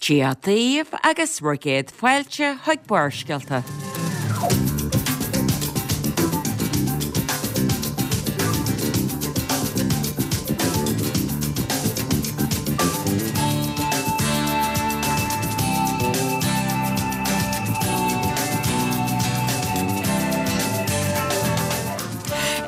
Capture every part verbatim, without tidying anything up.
Dia daoibh agus bhur gcéad fáilte chuig Barrscéalta.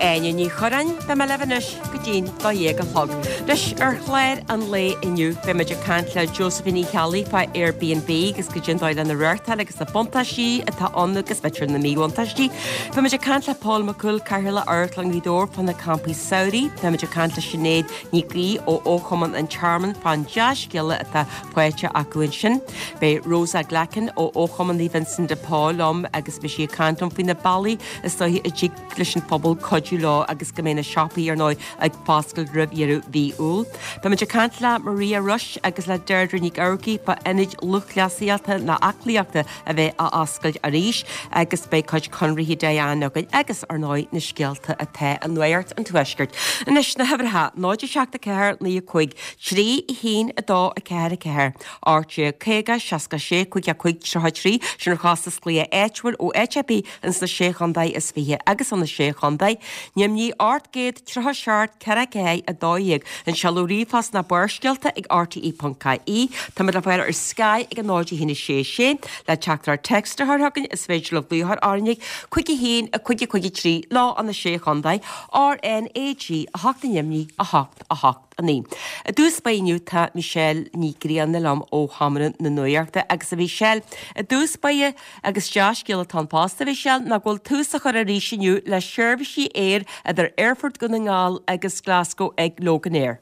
Áine Ní Churráin, beidh mé libh anois go dtí'n dó dhéag a chlog. Anois, ar chlár an lae inniu, beidh muid ag caint le Josephine Uí Cheallaigh fá Airbnb agus goidé an dóigh lena reáchtáil agus na buntáistí atá ann agus b'fhéidir na míbhuntáistí. Beidh muid ag caint le Pól Mac Cumhaill, Cathaoirleach Amharclann Ghaoth Dobhair fá na campaí samhraidh. Beidh muid ag caint le Sinéad Nic Aoidh ó Fhochumann an Tearmainn fán dea-scéala atá faighte acu ansin. Beidh Rosa Glackin ó Fhochumann Naomh Vincent de Paul liom agus beidh sí ag caint liom faoi na bealaí is dóichí a dtig leis an phobal cuidiú leo agus go mbeidh na siopaí ar ndóigh ag foscailt roimh dheireadh mhí Iúil. Beidh muid ag caint le Maria Rush agus le Deirdre Nic Eamharcaigh fá ionaid lúthchleasaíochta ná aclaíochta a bheith á oscailt arís agus beidh cuid conraithe Diane againn agus ar ndóigh na scéalta atá i Nuacht an Tuaiscirt. Anois na huimhreacha, náid a seacht a ceathair naoi a cúig, trí a haon a dó a ceathair a ceathair, ocht déag caoga seasca sé cúig a cúig tríocha trí, sin ar chostas glaoch áitiúil ó áit ar bith ins na Sé Chontae is Fiche agus ó na Sé Chontae. Nimhní ocht gcéad tríocha seacht ceithre ceathair a dó dhéag. An seoladh ríomhphost ná Barrscéalta ag rte ponc ie. Táimid le fáil ar Sky ag a náid a haon a sé sé. Le teachtaireacht text a chur chugainn is féidir libh glaoch orainn ag cúig a haon a cúig a cúig a trí lá an na Sé Chontae, R N A G a hocht a Nimhní a hocht a hocht a naoi. I dtús báire inniu tá Michelle Ní Ghrianna liom ó Sheomra na Nuachta agus a Mhichelle, i dtús báire agus dea-scéal atá ann fosta a Mhichelle ná go bhfuil tús á chur arís inniu le seirbhísí aeir idir Aerfort Dhún na nGall agus Glasgow ag Loganair.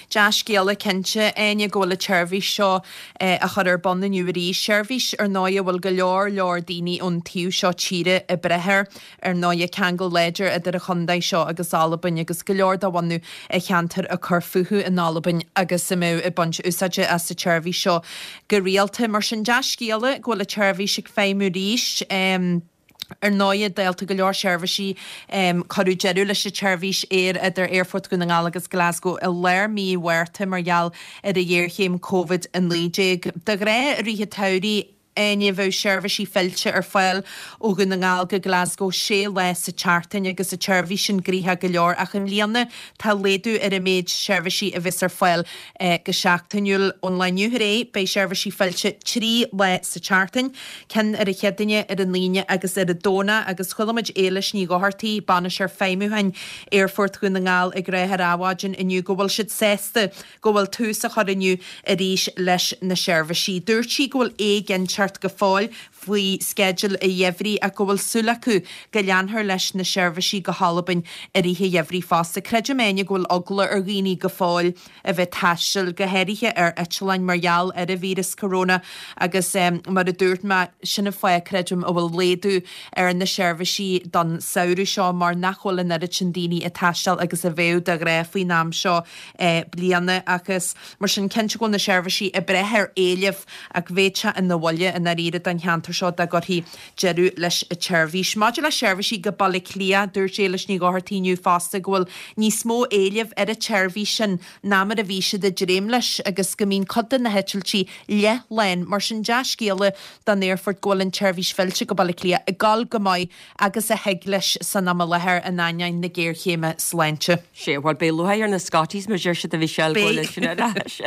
Dea-scéala cinnte, Áine, go bhfuil an tseirbhís seo á chur ar bun inniu arís. Seirbhís, ar ndóigh, a bhfuil go leor leor daoine ón taobh seo tíre ag brath air. Ar ndóigh, ceangal láidir idir an chontae seo agus Albain agus go leor de bhunadh an cheantair ag cur fúthu in Albain agus a mbeadh ag baint úsáide as an tseirbhís seo go rialta. Mar sin, dea-scéala go bhfuil an tseirbhís ag feidhmiú arís. Ar ndóigh, dálta go leor seirbhísí, cuireadh deireadh leis an tseirbhís aeir idir Aerfort Dhún na nGall agus Glasgow i lár mí Mhárta mar gheall ar an ghéarchéim Covid a naoi déag. De ghnáth, i rith an tsamhraidh, Áine, bheadh seirbhísí fillte ar fáil ó Dhún na nGall go Glasgow sé lá sa tseachtain agus an tseirbhís sin gnoitheach go leor ach i mbliana tá laghdú ar an méid seirbhísí a bheas ar fáil go seachtainiúil. Ón lá inniu ar aghaidh, beidh seirbhísí fillte trí lá sa tseachtain, ceann ar an Chéadaoine, ar an Aoine agus ar an Domhnach agus chuala muid Éilis Ní Dhochartaigh, Bainisteoir Feidhmiúcháin Aerfort Dhún na nGall ag rá ar Adhmhaidin inniu go bhfuil siad sásta go bhfuil tús á chur inniu arís leis na seirbhísí. Dúirt sí go bhfuil éiginnteacht go fóill faoi sceideal an gheimhridh ach go bhfuil súil acu go leanfar leis na seirbhísí go hAlbain i rith an gheimhridh fosta. Creidim, Áine, go bhfuil eagla ar dhaoine go fóill a bheith ag taisteal, go háirithe ar eitleáin mar gheall ar an víreas corona agus mar a dúirt mé, sin an fáth, creidim, a bhfuil laghdú ar na seirbhísí don samhradh seo mar nach bhfuil an oiread sin daoine ag taisteal agus a bheadh de ghnáth faoin am seo bliana agus mar sin cinnte go bhfuil na seirbhísí ag brath ar éileamh ach bheadh sé ina bhuille i ndáiríre don cheantar seo dá gcuirfí deireadh leis an tseirbhís. Maidir le seirbhísí go Baile Átha Cliath, dúirt Éilis Ní Dhochartaigh inniu fosta go bhfuil níos mó éilimh ar an tseirbhís sin ná mar a bhí siad ag dréim leis agus go mbíonn cuid de na heitiltí leathlán. Mar sin dea-scéala don aerfort go bhfuil an tseirbhís fillte go Baile Átha Cliath ag dul go maith agus a thig leis san am i láthair in ainneoin na géarchéime sláinte. Sea, bhuel, beidh lúcháir ar na Scotties mar deir siad a Mhichelle go bhfuil sin ar ais.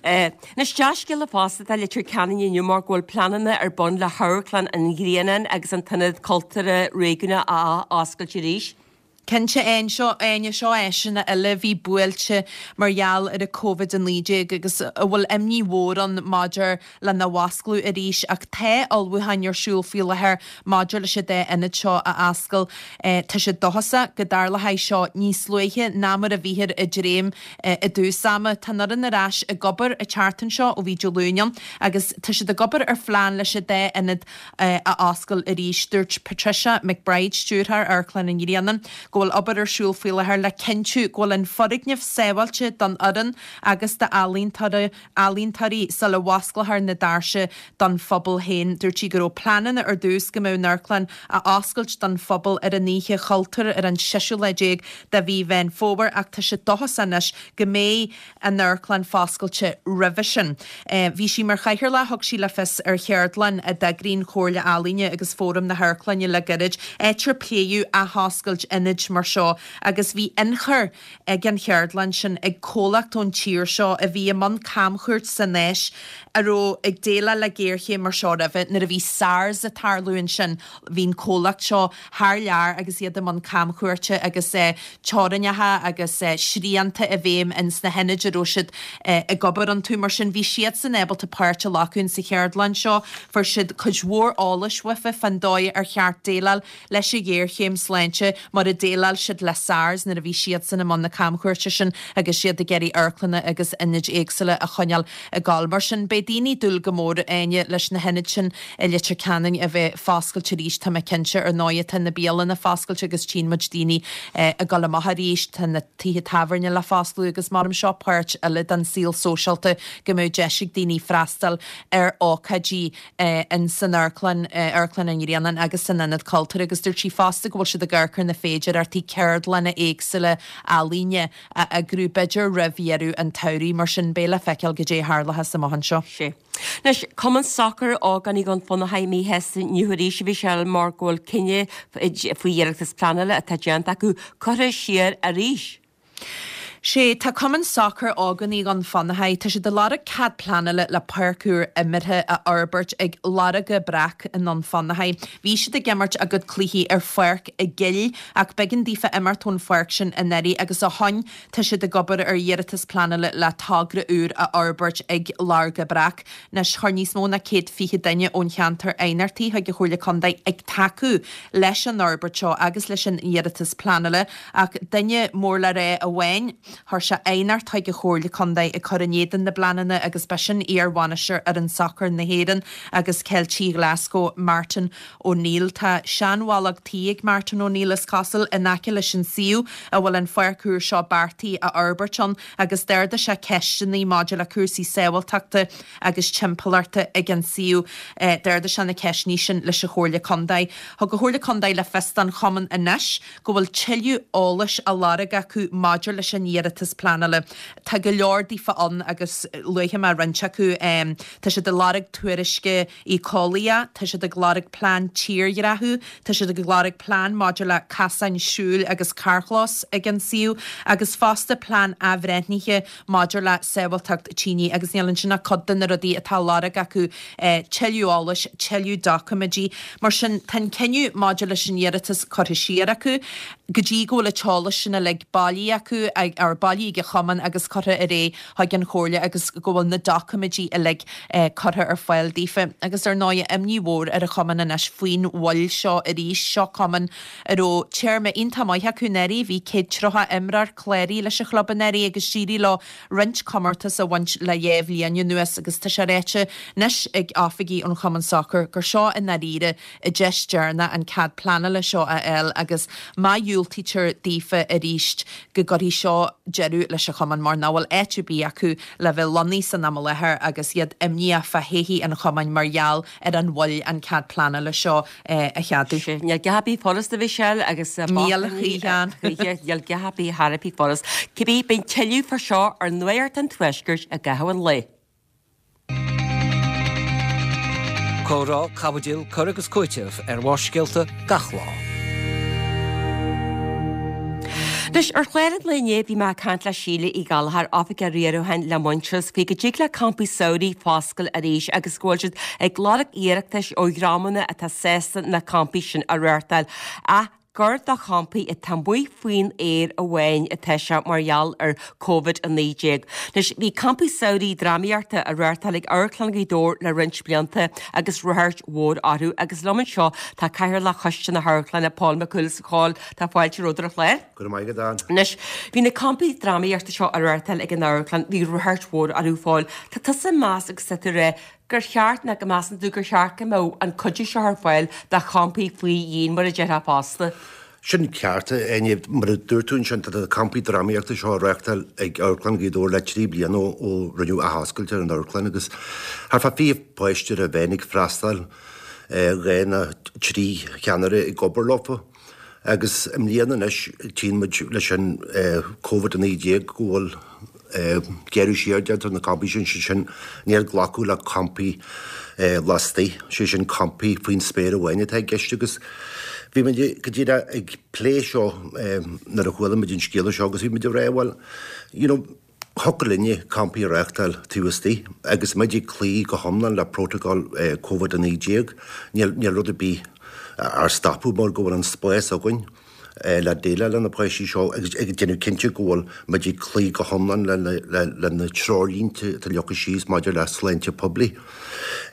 Anois, dea-scéala fosta atá i Leitir Ceanainn inniu mar go bhfuil pleananna ar bun le hAmharclann an Ghrianáin agus an tIonad Cultúrtha Réigiúnach a ath-oscailt arís. Cinnte, Áine, seo áiseanna eile a bhí buailte mar gheall ar an Covid a naoi déag agus a bhfuil imní mhór ann maidir lena bhfoscladh arís ach tá ullmhúcháin ar siúl faoi láthair maidir leis an dá ionad seo a oscail. Tá siad dóchasach go dtarlóidh seo níos luaithe ná mar a bhíthear ag dréim i dtús ama. Tá an fhoireann ar ais ag obair an tseachtain seo ó bhí Dé Luain ann agus tá siad ag obair ar phlean leis an dá ionad a oscail arís. Dúirt Patricia McBride, Stiúrthóir Amharclann an Ghrianáin, go bhfuil obair ar siúl faoi láthair le cinntiú go bhfuil an foirgneamh sábháilte don fhoireann agus d'ealaíontóirí sula bhfosclófar na doirse don phobal féin. Dúirt sí go raibh pleananna ar dtús go mbeadh an amharclann á oscailt don phobal ar an Oíche Chultúir ar an seisiú lá déag de mhí Mheán Fómhair ach tá sé dóchasach anois go mbeidh an amharclann foscailte roimhe sin. Bhí sí mar chathaoirleach, thug sí le fios ar cheardlann a d'eagraigh an Chomhairle Ealaíne agus Fóram na hAmharclainne le gairid, áit ar pléadh athoscailt ionaid mar seo agus bhí ionchur ag an cheardlann sin ag comhlacht ón tír seo a bhí i mbun camchuairt san Áis a raibh ag déileáil le géarchéim mar seo roimhe. Nuair a bhí SARS ag tarlú ansin bhí an comhlacht seo thar lear agus iad i mbun camchuairte agus teorainneacha agus srianta i bhfeidhm ins na hionaid a raibh siad ag obair iontu. Mar sin bhí siadsan ábalta páirt a ghlacadh insa cheardlann seo. Fuair siad cuid mhór eolais uafa fán dóigh ar cheart déileáil leis an ghéarchéim sláinte mar a dhéileáil siad le SARS nuair a bhí siadsan i mbun na camchuairte sin agus siad ag iarraidh amharclanna agus ionaid éagsúla a choinneáil ag gabháil. Mar sin, beidh daoine ag dúil go mór, Áine, leis na hionaid sin i Leitir Ceanainn a bheith foscailte arís. Tá mé cinnte, ar ndóigh, tá na bialanna foscailte agus tchíonn muid daoine ag dul amach arís, tá na tithe tábhairne le foscladh agus maram seo páirt eile den saol sóisialta go mbeadh deis ag daoine freastal ar ócáidí in san amharclann, Amharclann an Ghrianáin agus san Ionad Cultúir agus dúirt sí fosta go bhfuil siad ag amharc ar na féidearthachtaí ceardlanna éagsúla ealaíne a eagrú b'fhéidir roimh dheireadh an tsamhraidh mar sin beidh le feiceáil goidé a tharlóchas amach anseo. Sé. Anois, Cumann Sacair Ógánaigh Dhún Fionnachaidh míshásta inniu arís a Mhichelle mar go bhfuil cinneadh faoi iarratas pleanála atá déanta acu curtha siar arís. Sé, tá Cumann Sacair Ógánaigh Dhún Fionnachaidh, tá siad ag lorg cead pleanála le páirc úr imeartha a fhorbairt ag Lorga Breac i nDún Fionnachaidh. Bhí siad ag imirt a gcuid cluichí ar pháirc i gcill ach b'éigean daofa imeacht ón pháirc sin anuraidh agus ó shoin tá siad ag obair ar iarratas pleanála le togra úr a fhorbairt ag Lorga Breac. Anois, chuir níos mó ná céad fiche duine ón cheantar aighneachtaí chuig an Chomhairle Contae ag tacú leis an fhorbairt seo agus leis an iarratas pleanála ach duine mór le rá amháin, Chuir sé aighneacht chuig an Chomhairle Contae ag cur in éadan na bpleananna agus b'shin iar-bhainisteoir fhoireann sacair na hÉireann agus Ceiltigh Ghlaschú, Martin O'Neill. Tá seanbhallóg tí ag Martin O'Neill, is cosúil, in aice leis an suíomh a bhfuil an pháirc úr seo beartaithe a fhorbairt ann agus d'ardaigh sé ceisteanna maidir le cúrsaí sábháilteachta agus timpeallachta ag an suíomh. D'ardaigh sé na ceisteanna sin leis an Chomhairle Contae. Thug an Chomhairle Contae le fios don chumann anois go bhfuil tuilleadh eolais á lorg acu maidir leis an iarratas pleanála. Tá go leor daofa ann agus luafaidh mé roinnt acu. Tá siad ag lorg tuairisce éiceolaíoch, tá siad ag lorg plean tírdhreachú, tá siad ag lorg plean maidir le casáin siúil agus carrchlós ag an suíomh agus fosta plean athbhreithnithe maidir le sábháilteacht tine agus níl ansin ach cuid de na rudaí atá á lorg acu, tuilleadh eolais, tuilleadh doiciméidí. Mar sin, tá an cinneadh maidir leis an iarratas curtha siar acu go dtí go bhfuil an t-eolas sin uilig bailithe acu, or bailithe ag an chumann agus curtha ar aghaidh chuig an Chomhairle agus go bhfuil na doiciméidí uilig curtha ar fáil daofa. Agus ar ndóigh, imní mhór ar an chumann anois faoin mhoill seo arís. Seo cumann a raibh téarma iontach maith acu anuraidh, bhí céad tríocha imreoir cláraithe leis an chlub anuraidh agus d'éirigh leo roinnt comórtas a bhaint le dhá bhliain anuas agus tá sé ráite anois ag oifigigh an Chumainn Sacair gur seo i ndáiríre a deis deireanach an cead pleanála seo a fháil agus má dhiúltaítear daofa arís go gcuirfidh seo deireadh leis an chumann mar nach bhfuil áit ar bith acu le bheith lonnaithe san am i láthair agus iad imníoch fá thodhchaí an chumainn mar gheall ar an mhoill an cead pleanála seo a cheadú. Níl a dhath ar bith furasta a Mhichelle agus Níl a choíche. Níl a dhath ar bith thar a bheith furast. Cibé, beidh tuilleadh fá seo ar Nuacht an Tuaiscirt i gcaitheamh an lae. Comhrá, caibidil, cur agus cúiteamh ar Bharrscéalta gach lá. Anois, ar chlár an lae inné bhí mé ag caint le Síle Uí Ghallchóir, Oifigeach Riaracháin le Muintearas, faoi go dtig le campaí samhraidh foscailt arís agus go bhfuil siad ag lorg iarratais ó dhreamanna atá sásta na campaí sin a reáchtáil. Ach gur do champaí atá amuigh faoin aer amháin atá sé mar gheall ar Covid a naoi déag. Anois, bhí campaí samhraidh drámaíochta á reáchtáil ag Amharclann Ghaoth Dobhair le roinnt blianta agus ráchairt mhór orthu agus liom anseo tá Cathaoirleach Choiste na hAmharclainne, Pól Mac Cumhaill. A Phóil, tá fáilte romhat ar an chlár. Go raibh maith agat, Ann. Anois, bhí na campaí drámaíochta seo á reáchtáil ag an amharclann, bhí ráchairt mhór orthu, a Phóil. Tá tusa ag meas agus tá tú ag rá gur cheart nó go measann tú gur cheart go mbeadh an cuidiú seo ar fáil do champaí faoi dhíon mar a déarfá fosta? Sin ceart, Áine. Mar a dúirt tú ansin, tá na campaí drámaíochta seo á reáchtáil ag Amharclann Ghaoth Dobhair le trí bliana ó rinneadh athoscailt ar an amharclann agus thart fá fiche páiste ar a mheán ag freastal, dhá nó trí cheannaire ag obair leofa. Agus i mbliana anois, tchíonn muid leis an Covid a naoi déag go bhfuil gearradh siar déanta ar na campaí sin, sé sin, níor glacadh le campaí lastaigh, sé sin campaí faoin spéir amháin atá i gceist agus bhí muid go díreach ag plé seo nuair a chuala muid an scéala seo agus bhí muid ag rá bhuel, you know, thiocfadh linne campaí a reáchtáil taobh istigh agus muid ag cloí go hiomlán le prótacal Covid a naoi déag, níl níl rud ar bith ár stopadh mar go bhfuil an spás againn le déileáil le na páistí seo agus ag déanamh cinnte go bhfuil muid ag cloí go hiomlán le na treoirlínte atá leagtha síos maidir le sláinte poiblí.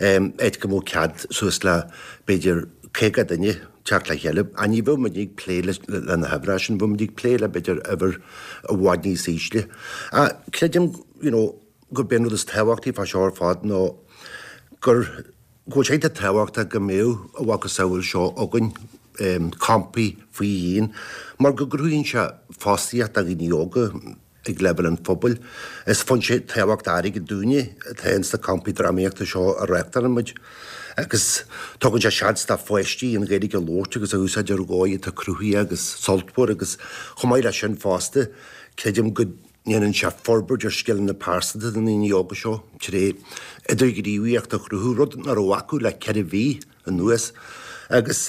Áit go mbeadh cead suas le b'fhéidir caoga duine teacht le chéile. Ach ní bheadh muid ag plé le na huimhreacha sin, bheadh muid ag plé le b'fhéidir uimhir i bhfad níos ísle. Ach creidim you know gurb é an rud is tábhachtaí fá seo ar fad ná gur go bhfuil sé iontach tábhachtach go mbeadh a mhacasamhail seo againn, campaí faoi dhíon, mar go gcruthaíonn sé fostaíocht do dhaoine óga ag leibhéal an phobail. Is foinse tábhachtach airgid dúinne atá ins na campaí drámaíochta seo a reáchtálann muid agus tugann sé seans do pháistí an Ghaeilge a labhairt agus a úsáid ar dhóigh atá cruthaitheach agus sultmhar agus chomh maith leis sin fosta, creidim go ndéanann sé forbairt ar scileanna pearsanta na ndaoine óga seo tré idirghníomhaíocht a chruthú, rud nach raibh acu le ceithre mhí anuas. Agus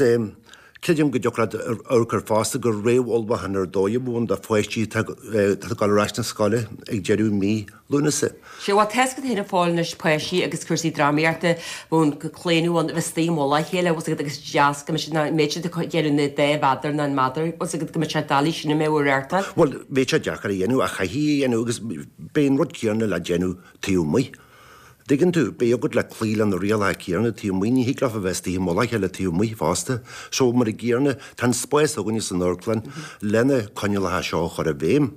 creidim go dtiocfadh leat amharc air fosta gur réamhullmhúchán ar dóigh a bheadh ann do pháistí atá ag dul ar ais na scoile ag deireadh mí Lúnasa. Sea, bhuel, tá a fhios agat féin a Phóil anois páistí agus cúrsaí drámaíochta, bhfuil an claonadh ann a bheith istigh i mullach a chéile, bhfuil a fhios agat, agus is deas go mbeidh siad, nach mbeidh siad ag déanamh na dá mheadar ná an meadar, bhfuil a fhios agat, go mbeidh sé doiligh sin a mbeadh á reáchtáil. Bhuel, bheadh sé deacair a dhéanamh ach chaithfí a dhéanamh agus beidh an rud céanna le déanamh taobh amuigh. Dtuigeann tú, beidh agat le cloí le na rialacha céanna taobh amuigh, ní thig leofa bheith istigh i mullach a chéile taobh amuigh fosta. So, mar an gcéanna, tá an spás againne san amharclann lena coinníollacha seo a chur i bhfeidhm.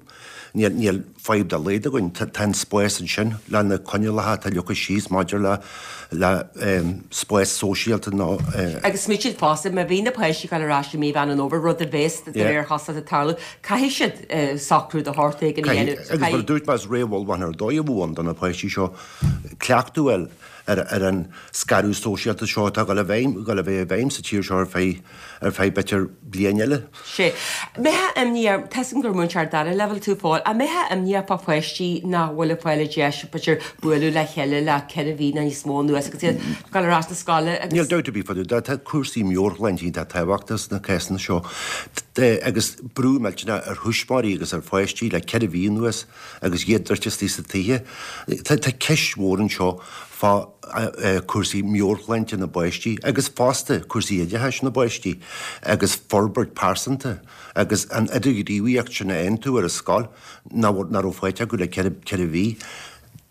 Níl, níl fadhb dá laghad againn, tá, tá an spás ansin le na coinníollacha atá leagtha síos maidir le, le spás sóisialta nó. Agus smaoitigh fosta, má bhí na páistí ag dul ar ais i mí Mheán an Fhómhair, rud a bheas de réir chosúlachta ag tarlú, caithfidh siad socrú de shórt éigin a dhéanamh. Agus mar a dúirt mé, is réamhullmhúchán ar dóigh a bheadh ann do na páistí seo. cleachtadh a fháil ar ar an scaradh sóisialta seo atá ag dul i bhfeidhm, ag dul a bheith i bhfeidhm sa tír seo ar feadh ar feadh b'fhéidir bliain eile. Sea. Mbeifeá imníoch, tá a fhios agam gur múinteoir dara leibhéal tú a Phóil, ach mbeifeá imníoch fá pháistí nach bhfuil ag fáil an deis b'fhéidir bualadh le chéile le ceithre mhí nó níos mó anuas agus iad ag dul ar ais na scoile agus. Níl dabht ar bith fá dtaobh de, tá cúrsaí meabhairshláinte iontach tábhachtach sna cásanna seo agus brú millteanach ar thuismitheoirí agus ar pháistí le ceithre mhí anuas. Agus iad druidte istigh sna tithe, tá ceist mhór anseo fá chúrsaí meabhairshláinte na bpáistí agus fosta cúrsaí oideachais na bpáistí agus forbairt pearsanta agus an idirghníomhaíocht sin a fhaigheann tú ar an scoil nach raibh faighte acu le ceithre mhí.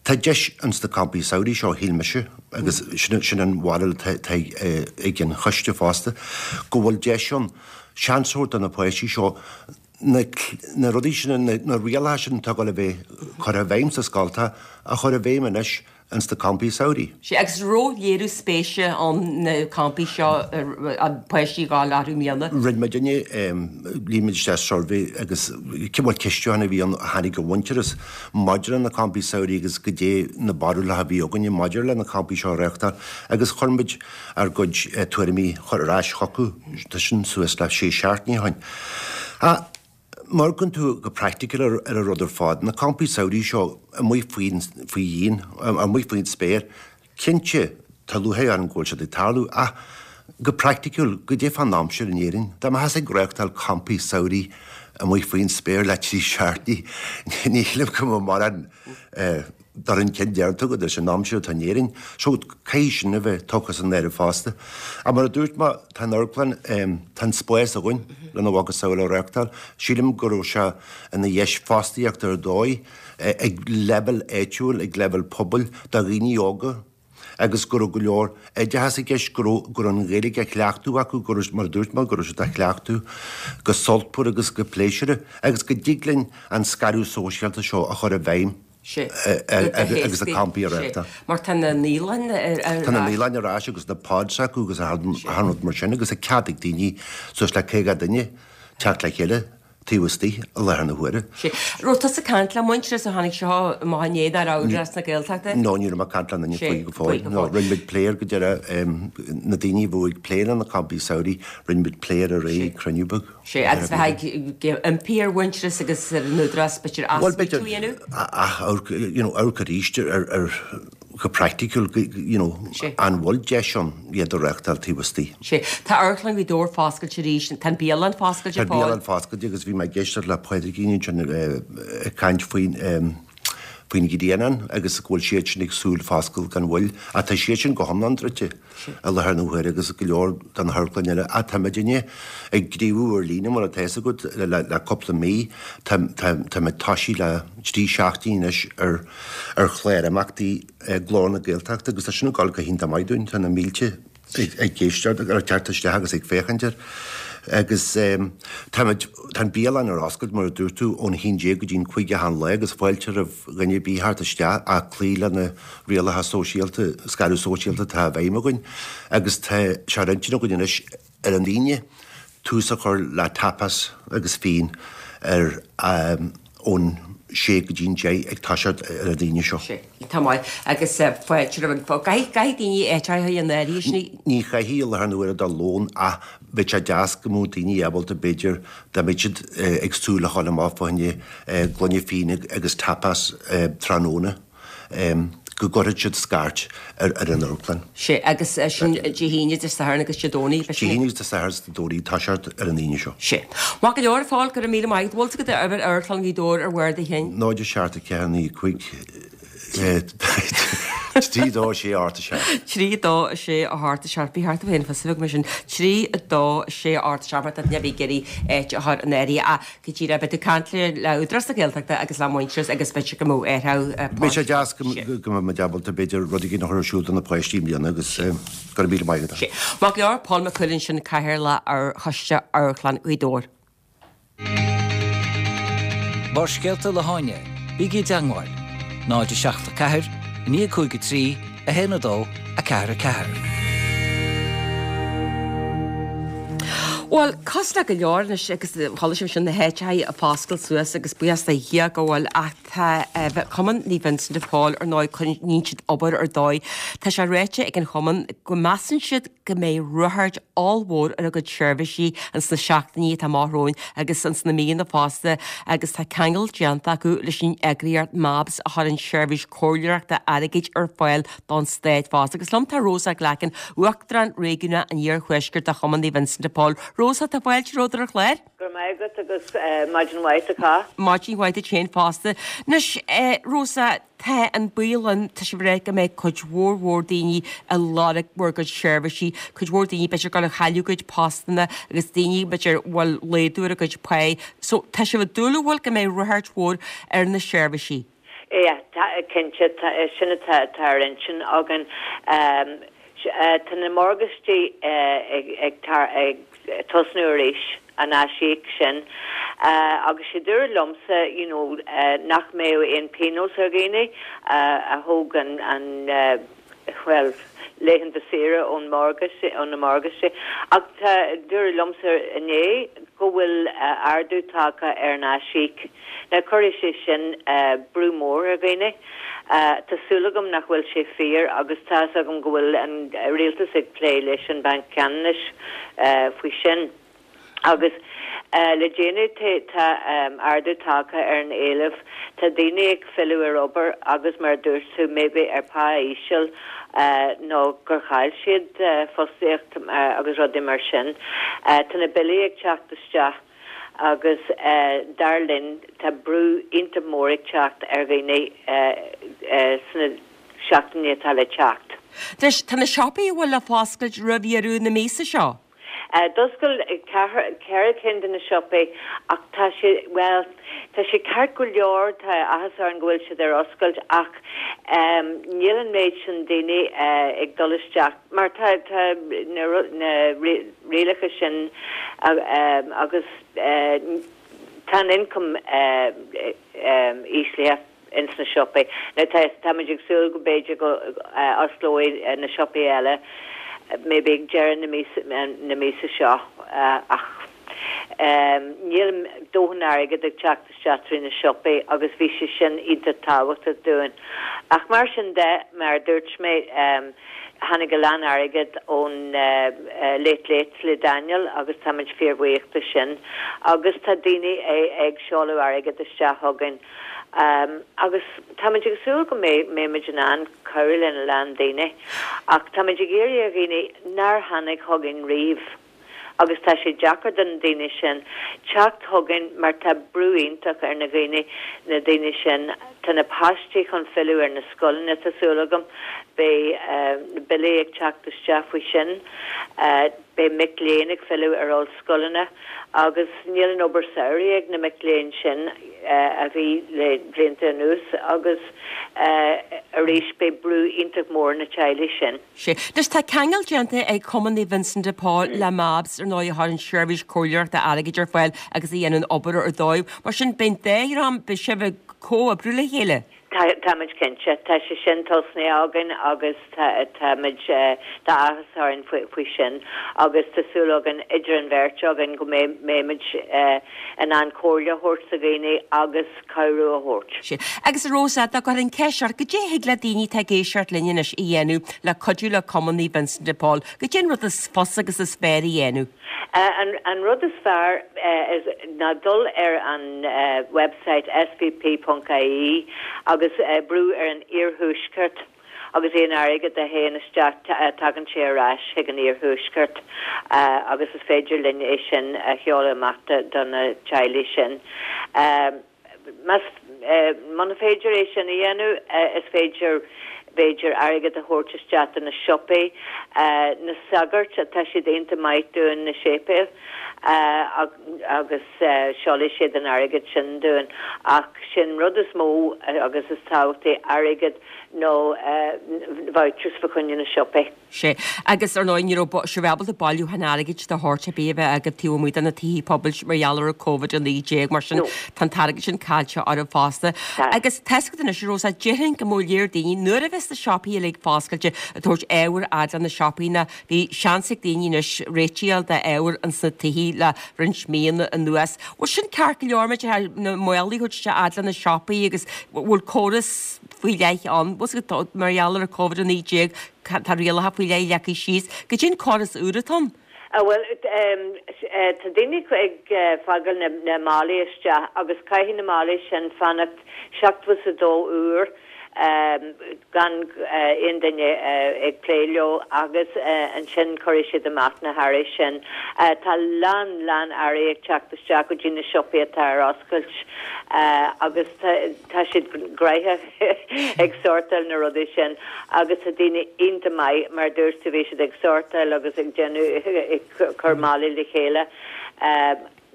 Tá deis ins na campaí samhraidh seo, shíl mise, agus sin an bharúil atá ag an choiste fosta, go bhfuil deis ann seans a thabhairt do na páistí seo na na rudaí sin, na rialacha sin atá ag dul a bheith curtha i bhfeidhm sa scoltacha a chur i bhfeidhm anois ins na campaí samhraidh. Sea, agus raibh léiriú spéise ann na campaí seo, an páistí ag gabháil orthu i mbliana? Rinne muidinne, líon muid isteach suirbhé agus bhuel ceistiúchán a bhí ann a tháinig ó Mhuintearas maidir le na campaí samhraidh agus goidé na barúlacha a bhí againne maidir le na campaí seo a reáchtáil agus chuir muid ár gcuid tuairimí a chur ar ais chucu, tá sin suas le sé seachtainí ó shin. Ach má amharcann tú go praiticiúil ar an rud ar fad, na campaí samhraidh seo amuigh faoin, faoi dhíon, amuigh faoin spéir, cinnte tá lúcháir orm go bhfuil siad ag tarlú ach go praiticiúil, goidé fán aimsir in Éirinn? Dá mbeifeása ag reáchtáil campaí samhraidh amuigh faoin spéir le trí seachtainí, ní shílim go mbeadh mórán dul chun cinn déanta agat leis an aimsir atá in Éirinn. So, caithfidh sin a bheith tugtha san áireamh fosta. Ach mar a dúirt mé, tá an amharclann, tá an spás againn lena mhacasamhail a reáchtáil. Sílim go raibh sé ina dheis fostaíochta ar dóigh ag leibhéal áitiúil, ag leibhéal pobail, do dhaoine óga agus go raibh go leor oideachas i gceist, go raibh, go raibh an Ghaeilge á cleachtadh acu, go raibh, mar a dúirt mé, go raibh siad á cleachtadh go sultmhar agus go pléisiúrtha agus go dtig linn an scaradh sóisialta seo a chur i bhfeidhm. Sea. Agus na campaí a reáchtáil. Mar tá na naíolanna ar ais. Tá na naíolanna ar ais agus na pods acu agus achan rud mar sin agus tá cead ag daoine suas le caoga duine teacht le chéile taobh istigh i láthair na huaire. Sea. Raibh tusa ag caint le Muintearas ó tháinig seo amach inné nach raibh Údarás na Gaeltachta? No, ní raibh mé ag caint le aon duine faoi go fóill. No, rinne muid plé air go deireadh, na daoine a bhí ag plé le na campaí samhraidh, rinne muid plé air aréir ag cruinniú beag. Sea, agus bheith ag impí ar Mhuintearas agus ar an Údarás b'fhéidir athsmaoitiú a dhéanamh? Bhuel, b'fhéidir, you know, amharc arís ar, ar, go praiticiúil, you know, an bhfuil deis ann iad a reáchtáil taobh istigh. Sea. Tá Amharclann Ghaoth Dobhair foscailte arís, tá an bialann foscailte fóill. Tá an bialann foscailte agus bhí mé ag éisteacht le Pádraigín ansin ag caint faoin faoin Ghrianán agus go bhfuil siad sin ag súil foscailt gan mhoill. Ach tá siad sin go hiomlán druidte i láthair na huaire agus go leor de na hamharclanna eile. Ach tá muidinne ag gníomhú ar líne mar atá fhios agat le le cúpla mí. Tá tá tá muid toisithe le trí seachtaine anois ar ar chlár imeachtaí Glór na Gaeltachta agus tá sin ag dul go hiontach maith dúinn, tá na mílte ag éisteacht, ag teacht isteach agus ag féachaint air. Agus táimid, tá an bialann ar oscailt mar a dúirt tú ón haon déag go dtí an cúig a haon lá agus fáilte roimh dhuine ar bith theacht isteach ach cloí le na rialacha sóisialta, scaradh sóisialta atá i bhfeidhm againn agus tá sé ar intinn againn anois ar an Aoine tús a chur le tapas agus fíon ar ón sé go dtí an deich ag toiseacht ar an Aoine seo. Sé. Tá maith. Agus fáilte roimh an Caithfidh caithfidh daoine áit a in áirithe sin. Ní chaithfidh i láthair na huaire do lón ach bheadh sé deas go mbeadh daoine ábalta b'fhéidir dá mbeadh siad ag súil a dhul amach fá choinne gloine fíona agus tapas tráthnóna. go gcuirfeadh siad scairt ar an amharclann. Sea, agus sin Dé hAoine, Dé Sathairn agus Dé Domhnaigh, Dé hAoine agus Dé Sathairn agus Dé Domhnaigh, toiseacht ar an Aoine seo. Sea. Maith go leor, a Phóil, go raibh míle maith agat. Bhfuil fhios agat uimhir Amharclann Ghaoth Dobhair ar bharr do chinn? Náid a seacht a ceathair naoi cúig trí dó sé ocht a seacht. Trí dó sé a hocht a seacht. Bí thart tú féin fios a bheag mar sin. Trí dó sé ocht a seacht mar tá duine ar bith ag iarraidh áit a chur in áirithe. Ach go díreach, beidh tú ag caint le Údarás na Gaeltachta agus le Muintearas agus b'fhéidir go mbeadh athrú Beidh sé deas go mbeidh muid ábalta b'fhéidir rud éigin a chur ar siúl do na páistí i mbliana agus go raibh míle maith agat. Maith go leor, Pól Mac Cumhaill ansin, Cathaoirleach ar Choiste Amharclann Ghaoth Dobhair. Barrscéalta le hÁine, bígí i dteangmháil, náid a seacht a ceathair, a naoi a cúig a trí, a haon a dó, a ceathair a ceathair. Bhuel, cosúil le go leor anois agus chuala sibh sin na háiteacha ag foscailt suas agus buíochas do Dhia go bhfuil ach tá Cumann Naomh Vincent de Paul ar ndóigh coinníonn siad obair ar dóigh. Tá sé ráite ag an chumann go measann siad go mbeidh ráchairt ollmhór ar a gcuid seirbhísí ins na seachtainí atá amach romhainn agus ins na míonna fosta agus tá ceangal déanta acu leis an eagraíocht MABS a chuireann seirbhís comhairleoireachta airgid ar fáil don stát fosta. Agus liom tá Rosa Glackin, Uachtarán Réigiúnach an Iarthuaiscirt de Chumann Naomh Vincent de Paul. Rosa, tá fáilte romhat ar an chlár. Go raibh maith agat agus maidin mhaith do chách. Maidin mhaith duit féin fosta. Anois, Rosa, tá an baol ann, tá sibh ag rá go mbeidh cuid mhór mhór daoine ag lorg bhur gcuid seirbhísí, cuid mhór daoine b'fhéidir ag dul a chailleadh a gcuid postanna agus daoine b'fhéidir a bhfuil laghdú ar a gcuid pá. So, tá sibh ag dúil an bhfuil go mbeidh ráchairt mhór ar na seirbhísí? Yeah, cinnte, sin atá ar intinn againn. Tá na morgáistí ag tosnú arís, an aisíoc sin, agus sé dúradh liomsa you know nach mbeadh aon pionós ar dhaoine a thóg an, bhuel, laethanta saoire ón morgáiste, ó na morgáistí. Ach tá, dúradh liomsa inné go bhfuil ardú tagtha ar an aisíoc. Now cuirfidh sé sin brú mór ar dhaoine. Tá súil agam nach bhfuil sé fíor agus tá's agam go bhfuil an rialtas ag plé leis an Banc Ceannais faoi sin. Agus le déanaí tá ardú tagtha ar an éileamh. Tá daoine ag filleadh ar obair agus mar a dúirt tú maybe ar pá íseal nó gur chaill siad fostaíocht agus rudaí mar sin. Tá na billí ag teacht isteach agus dar linn tá brú iontach mór ag teacht ar dhaoine sna seachtainí atá le teacht. Anois, tá na siopaí an bhfuil le foscailt roimh dheireadh na míosa seo? D'oscail ceithre cinn de na siopaí ach tá sé, bhuel, tá sé ceart go leor, tá áthas orainn go bhfuil siad ar oscailt ach níl an méid sin daoine ag dul isteach mar tá tá na na rialacha sin agus tá an ioncam íslithe. ins na siopaí. Now tá táimid ag súil go b'fhéidir go osclóidh na siopaí eile maybe ag deireadh na míosa na míosa seo ach Níl dóthain airgead ag teacht isteach trí na siopaí agus bhí sé sin iontach tábhachtach dúinn. Ach mar sin de, mar a dúirt mé, tháinig a lán airgead ón Late Late le Daniel agus táimid fíorbhuíoch de sin. Agus tá daoine ag seoladh airgead isteach chugainn agus táimid ag súil go mbeimid in ann cabhrú lena lán daoine. Ach táimid ag iarraidh ar dhaoine nár tháinig chugainn riamh, agus tá sé deacair do na daoine sin teacht chugainn mar tá brú iontach ar na dhaoine, na daoine sin. Tá na páistí chun filleadh ar na scoileanna, tá súil agam. Beidh na billí ag teacht isteach faoi sin. Beidh mic léinn ag filleadh ar ollscoileanna agus níl an obair samhraidh ag na mic léinn sin a bhí le blianta anuas agus arís beidh brú iontach mór ar na teaghlaigh sin. Sea. Anois tá ceangal déanta ag Cumann Naomh Vincent de Paul le MABS, ar ndóigh, a chuireann seirbhís comhairleoireachta airgid ar fáil agus a dhéanann obair ar dóibh. Mar sin, beidh an dá dhream, beidh sibh ag comhoibriú le chéile? Tá, táimid cinnte. Tá sé sin tosnaithe againn agus tá, táimid, tá áthas orainn faoi, faoi sin agus tá súil againn idir an bheirt againn go mbeidh, mbeimid in ann comhairle a thabhairt do dhaoine agus cabhrú a thabhairt. Sea. Agus a Rosa, dá gcuirfinn ceist ort, goidé a thig le daoine atá ag éisteacht linn anois a dhéanamh le cuidiú le Cumann Naomh Vincent de Paul? Goidé an rud is fusa agus is fearr a dhéanamh? An rud is fearr ná dul ar an website svp ponc ie agus brú ar an Iarthuaisceart agus aon airgead a théann isteach tagann sé ar ais chuig an Iarthuaisceart agus is féidir linn é sin a sheoladh amach do na teaghlaigh sin. Más, muna féidir é sin a dhéanamh, is féidir, b'fhéidir, airgead a thabhairt isteach do na siopaí, na sagairt, tá siad iontach maith dúinn, na séipéil, agus seolfaidh siad an airgead sin dúinn. Ach sin rud is mó agus is tábhachtaí, airgead nó vouchers fá choinne na siopaí. Sea. Agus, ar ndóigh, ní raibh sibh ábalta bailiúchán airgid de shórt ar bith a bheith agaibh taobh amuigh de na tithe pobail mar gheall ar an Covid a naoi déag, mar sin tá an t-airgead sin caillte oraibh fosta. Agus tá 'fhios agat anois, a Rosa, déarfainn go mbeadh léir daoine, nuair a bheas na siopaí uilig foscailte, ag tabhairt ábhar fhad le na siopaí ná bhí seans ag daoine anois réitigh a fháil d'ábhar ins na tithe le roinnt míonna anuas. Bhfuil sin ceart go leor, maidir na málaí a thabhairt isteach fhad le na siopaí agus bhfuil córas faoi leith ann, bhfuil 'fhios agat, mar gheall ar an Covid a naoi déag, Tá rialacha faoi leith leagtha síos. Goidé an córas úr atá ann? Bhuel, tá daoine ag fágáil na málaí isteach agus caithfidh na málaí sin fanacht seachtó is a dó uair gan aon duine ag plé leo agus ansin cuirfidh siad amach na hearraí sin. Tá lán, lán earraí ag teacht isteach go dtí na siopaí atá ar oscailt agus tá siad gnoitheach. ag sórtáil na rudaí sin agus tá daoine iontach maith mar a dúirt tú bhí siad ag sórtáil agus ag déanamh ag cur málaí le chéile.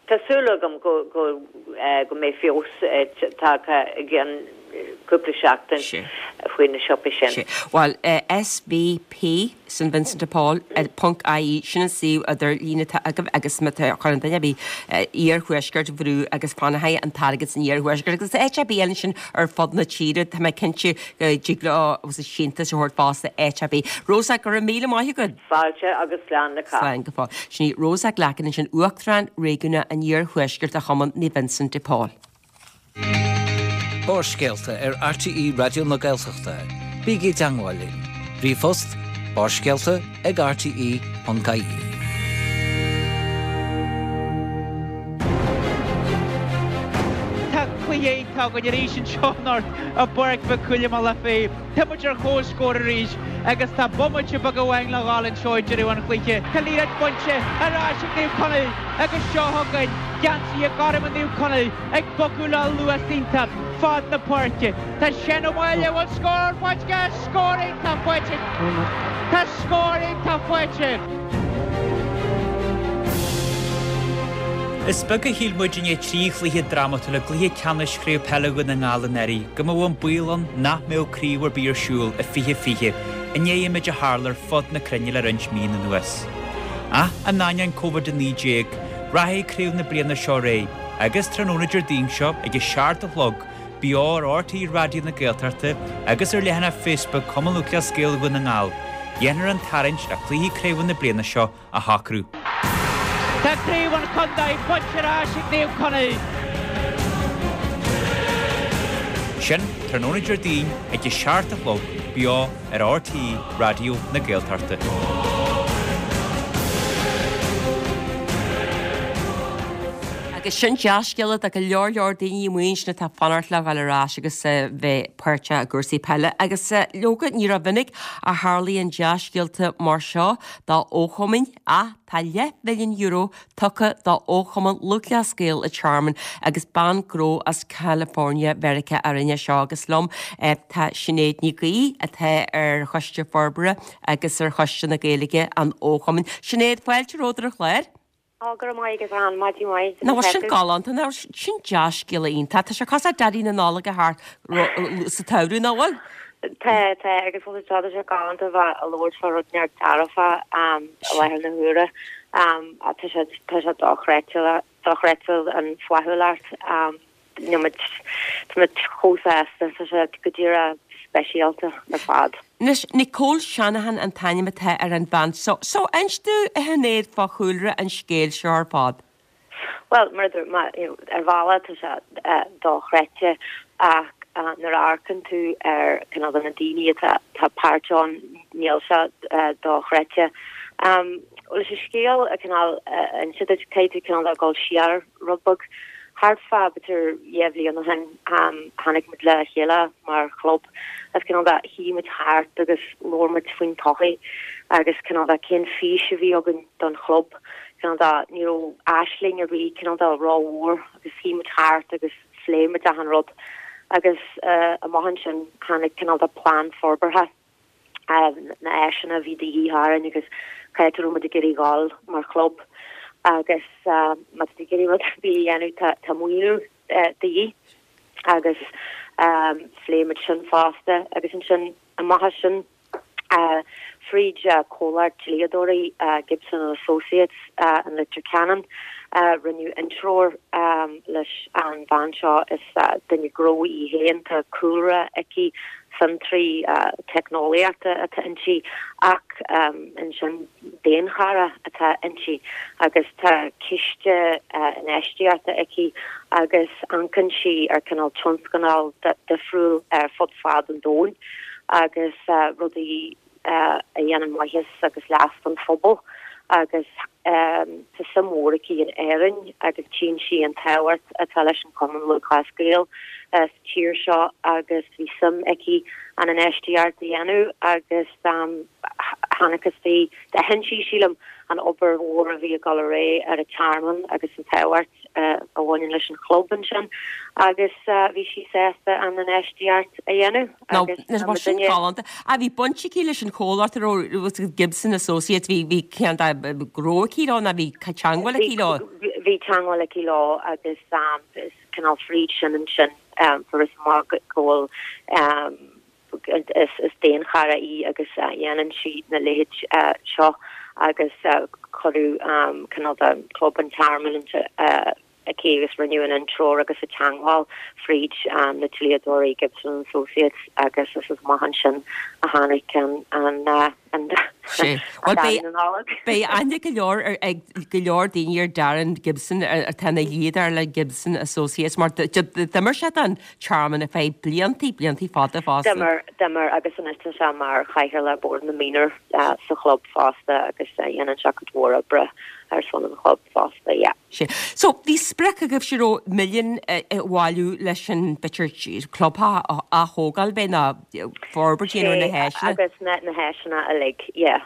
Tá súil agam go go go mbeidh feabhas tagtha i gceann cúpla seachtain faoi na siopaí sin. Bhuel, SVP St Vincent de Paul ponc ie, sin an suíomh idirlín atá agaibh agus má tá chuireann duine ar bith iarthuaisceart brú agus fanfaidh an t-airgead san iarthuaisceart agus áit ar bith eile ansin ar fud na tíre, tá mé cinnte go dtig leo agus síntiús a thabhairt fosta áit ar bith. Rosa, go raibh míle maith agat. Fáilte agus slán le cách. Slán go fóill. Sin í Rosa Glackin ansin, Uachtarán Réigiúnach an Iarthuaiscirt de Chumann Naomh Vincent de Paul. Barrscéalta ar RTÉ Raidió na Gaeltachta. Bígí i dteangmháil linn. Ríomhphost, barrscéalta ag rte ponc ie. Tá cluiche iontach againn arís anseo anocht i bPáirc Mhic Cumhaill i mBealach Féich. Tá muid ar comhscór arís agus tá bomaite beag amháin le dhul anseo ag deireadh an chluiche. Tá liathróid bainte ar ais ag Naomh Conaill agus seo chugainn geansaithe gorma Naomh Conaill ag bogadh le luas iontach fad na páirce. Tá Seán Ó Máille, bhfuil scór faighte? Scór iontach faighte! Tá scór iontach faighte! Is beag a shíl muid i ndiaidh trí chluiche drámatúil i gcluiche ceannais Chraobh Peile Dhún na nGall anuraidh go mbeadh an baol ann nach mbeadh craobh ar bith ar siúl i fiche fiche i ndiaidh an méid a tharla ar fud na cruinne le roinnt míonna anuas. Ach in ainneoin Covid a naoi déag, rachaidh craobh na bliana seo ar aghaidh agus tráthnóna Déardaoin seo ag a seacht a chlog beo ar RTÉ Raidió na Gaeltachta agus ar leathanach Facebook Chumann Lúthchleas Gael Dhún na nGall, dhéanfar an tarraingt le cluichí craoibhe na bliana seo a shocrú. Tá craobh an chontae bainte ar ais ag Naomh Conaill. Sin tráthnóna Déardaoin ag a seacht a chlog beo ar RTÉ Raidió na Gaeltachta. Agus sin dea-scéala do go leor leor daoine amuigh ansin atá ag fanacht le dhul ar ais agus bheith páirteach i gcúrsaí peile. Agus leoga, ní rómhinic a tharlaíonn dea-scéalta mar seo do fhochumainn ach tá leathmhilliún euro tugtha do Fhochumann Lúthchleas Gael an Tearmainn agus bean gnó as California Mheiriceá a rinne seo agus liom tá Sinéad Ní Ghaoith atá ar Choiste Forbartha agus ar Choiste na Gaeilge an Fhochumainn. Sinéad, fáilte romhat ar an chlár. Ó, go raibh maith agat, Ann. Maidin mhaith. Nach bhfuil sin galánta? Nach bhfuil sin dea-scéala iontach? Tá sé cosúil le Daidí na Nollag a theacht sa tsamhradh, nach bhfuil? Tá, tá, agus bhfuil tá sé galánta a bheith ag labhairt fá rud inteacht dearfa i láthair na huaire. Tá sé, tá sé dochreidte, dochreidte an flaithiúlacht. Níl muid, tá muid chomh sásta, tá sé go díreach speisialta ar fad. Anois, Nicole Shanahan an t-ainm atá ar an bhean so. So, inis dúinn, a Shinéad, fá chúlra an scéil seo ar fad. Bhuel, mar a dúirt mé, you know, ar bhealach tá sé dochreidte ach nuair a amharcann tú ar cineál de na daoine atá atá páirt ann, níl sé dochreidte. Leis an scéal a cineál a inse duit, caithfidh tú cineál de dhul siar rud beag. Thart fá b'fhéidir dhá bhliain ó shin tháinig muid le chéile mar chlub agus cineál de shuigh muid thart agus labhair muid faoin todhchaí agus cineál de cén fís a bhí againn don chlub. Cineál de ní raibh aisling ar bith cineál de rómhór agus shuigh muid thart agus phléigh muid achan rud agus amach ansin tháinig cineál de plean forbartha. na háiseanna a bhí de dhíth orainn agus cá háit a raibh muid ag iarraidh dhul mar chlub agus má tá tú ag iarraidh rud ar bith a dhéanamh tá tá maoiniú de dhíth agus phléigh muid sin fosta agus ansin amach as sin fríd comhlacht dlíodóirí Gibson and Associates in Leitir Ceanainn rinneadh intreoir leis an bhean seo is duine gnó í féin tá cúlra aici fiontraí teicneolaíochta atá inti ach ansin daonchara atá inti agus tá ciste infheistíochta aici agus amharcann sí ar cineál tionscnaimh difriúil ar fud fad an domhain agus rudaí a dhéanann maitheas agus leas don phobal agus tá suim mhór aici in Éirinn agus tchíonn sí an tábhacht atá leis an Chumann Lúthchleas Gael sa tír seo agus bhí suim aici an infheistíocht a dhéanamh agus chonaic sí, d'aithin sí, sílim, an obair mhór a bhí ag dul ar aghaidh ar an Tearmann agus an tábhacht a bhaineann leis an chlub ansin agus bhí sí sásta an infheistíocht a dhéanamh agus Nó, mar sin galánta. Ah, bhí baint aici leis an chomhlacht a raibh Gibson Associates, bhí bhí ceann de gnó aici leo nó bhí teagmháil aici leo? Bhí teagmháil aici leo agus is cineál fríd sin ansin fuarthas amach go bhfuil is daonchara í agus dhéanann sí na leithéid seo agus cuireadh cineál de Club an Tearmainn aici agus rinneadh an intreoir agus an teagmháil fríd na dlíodóirí Gibson and Associates agus is amach ansin a tháinig an an Daidí na Nollag. Beidh aithne go leor ag go leor daoine ar Darren Gibson atá ina dhlíodóir le Gibson Associates mar d'imir sé don Tearmann ar feadh bliantaí, bliantaí fada fosta. D'imir, d'imir agus anois tá sé mar chathaoirleach Bord na Mionúr sa chlub fosta agus dhéanann sé cuid mhór oibre ar son an chlub fosta, yeah. Sea. So, bhí sprioc agaibh sé raibh milliún a bhailiú leis an, b'fhéidir, club a ath-thógáil, b'é nó forbairt a dhéanamh ar na háiseanna. Agus na na háiseanna uilig, yeah.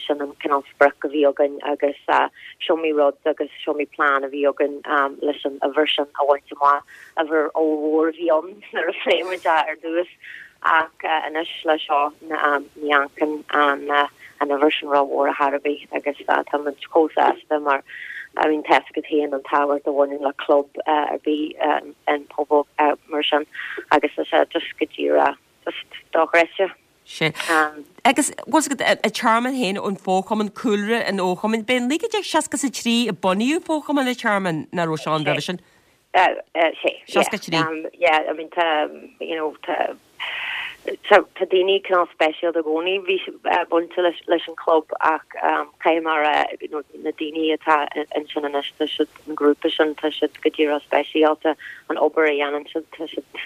Sin an cineál sprioc a bhí againn agus is iomaí rud agus is iomaí plean a bhí againn leis an uimhir sin a bhaint amach. Uimhir ollmhór a bhí ann nuair a phléigh muid é ar dtús ach anois le seo ní amharcann an an uimhir sin rómhór ar chor ar bith agus tá muid chomh sásta mar I mean tá fhios agat féin an tábhacht a bhaineann le club ar bith an pobal mar sin agus tá sé just go díreach just dochreidte. Sea. Agus bhfuil fhios agat, an Tearmann féin, an fóchumann, cúlra an fhochumainn, b'é naoi déag seasca is a trí a bunaíodh fóchumann an Tearmainn, nach raibh sé ann roimhe sin? Sea, Seasca a trí. Yeah, I mean tá, you know, tá, Tá daoine cineál speisialta i gcónaí bhí bainte leis leis an chlub ach caithfidh mé a rá na daoine atá ansin anois tá siad an grúpa sin tá siad go díreach speisialta an obair a dhéanann siad tá siad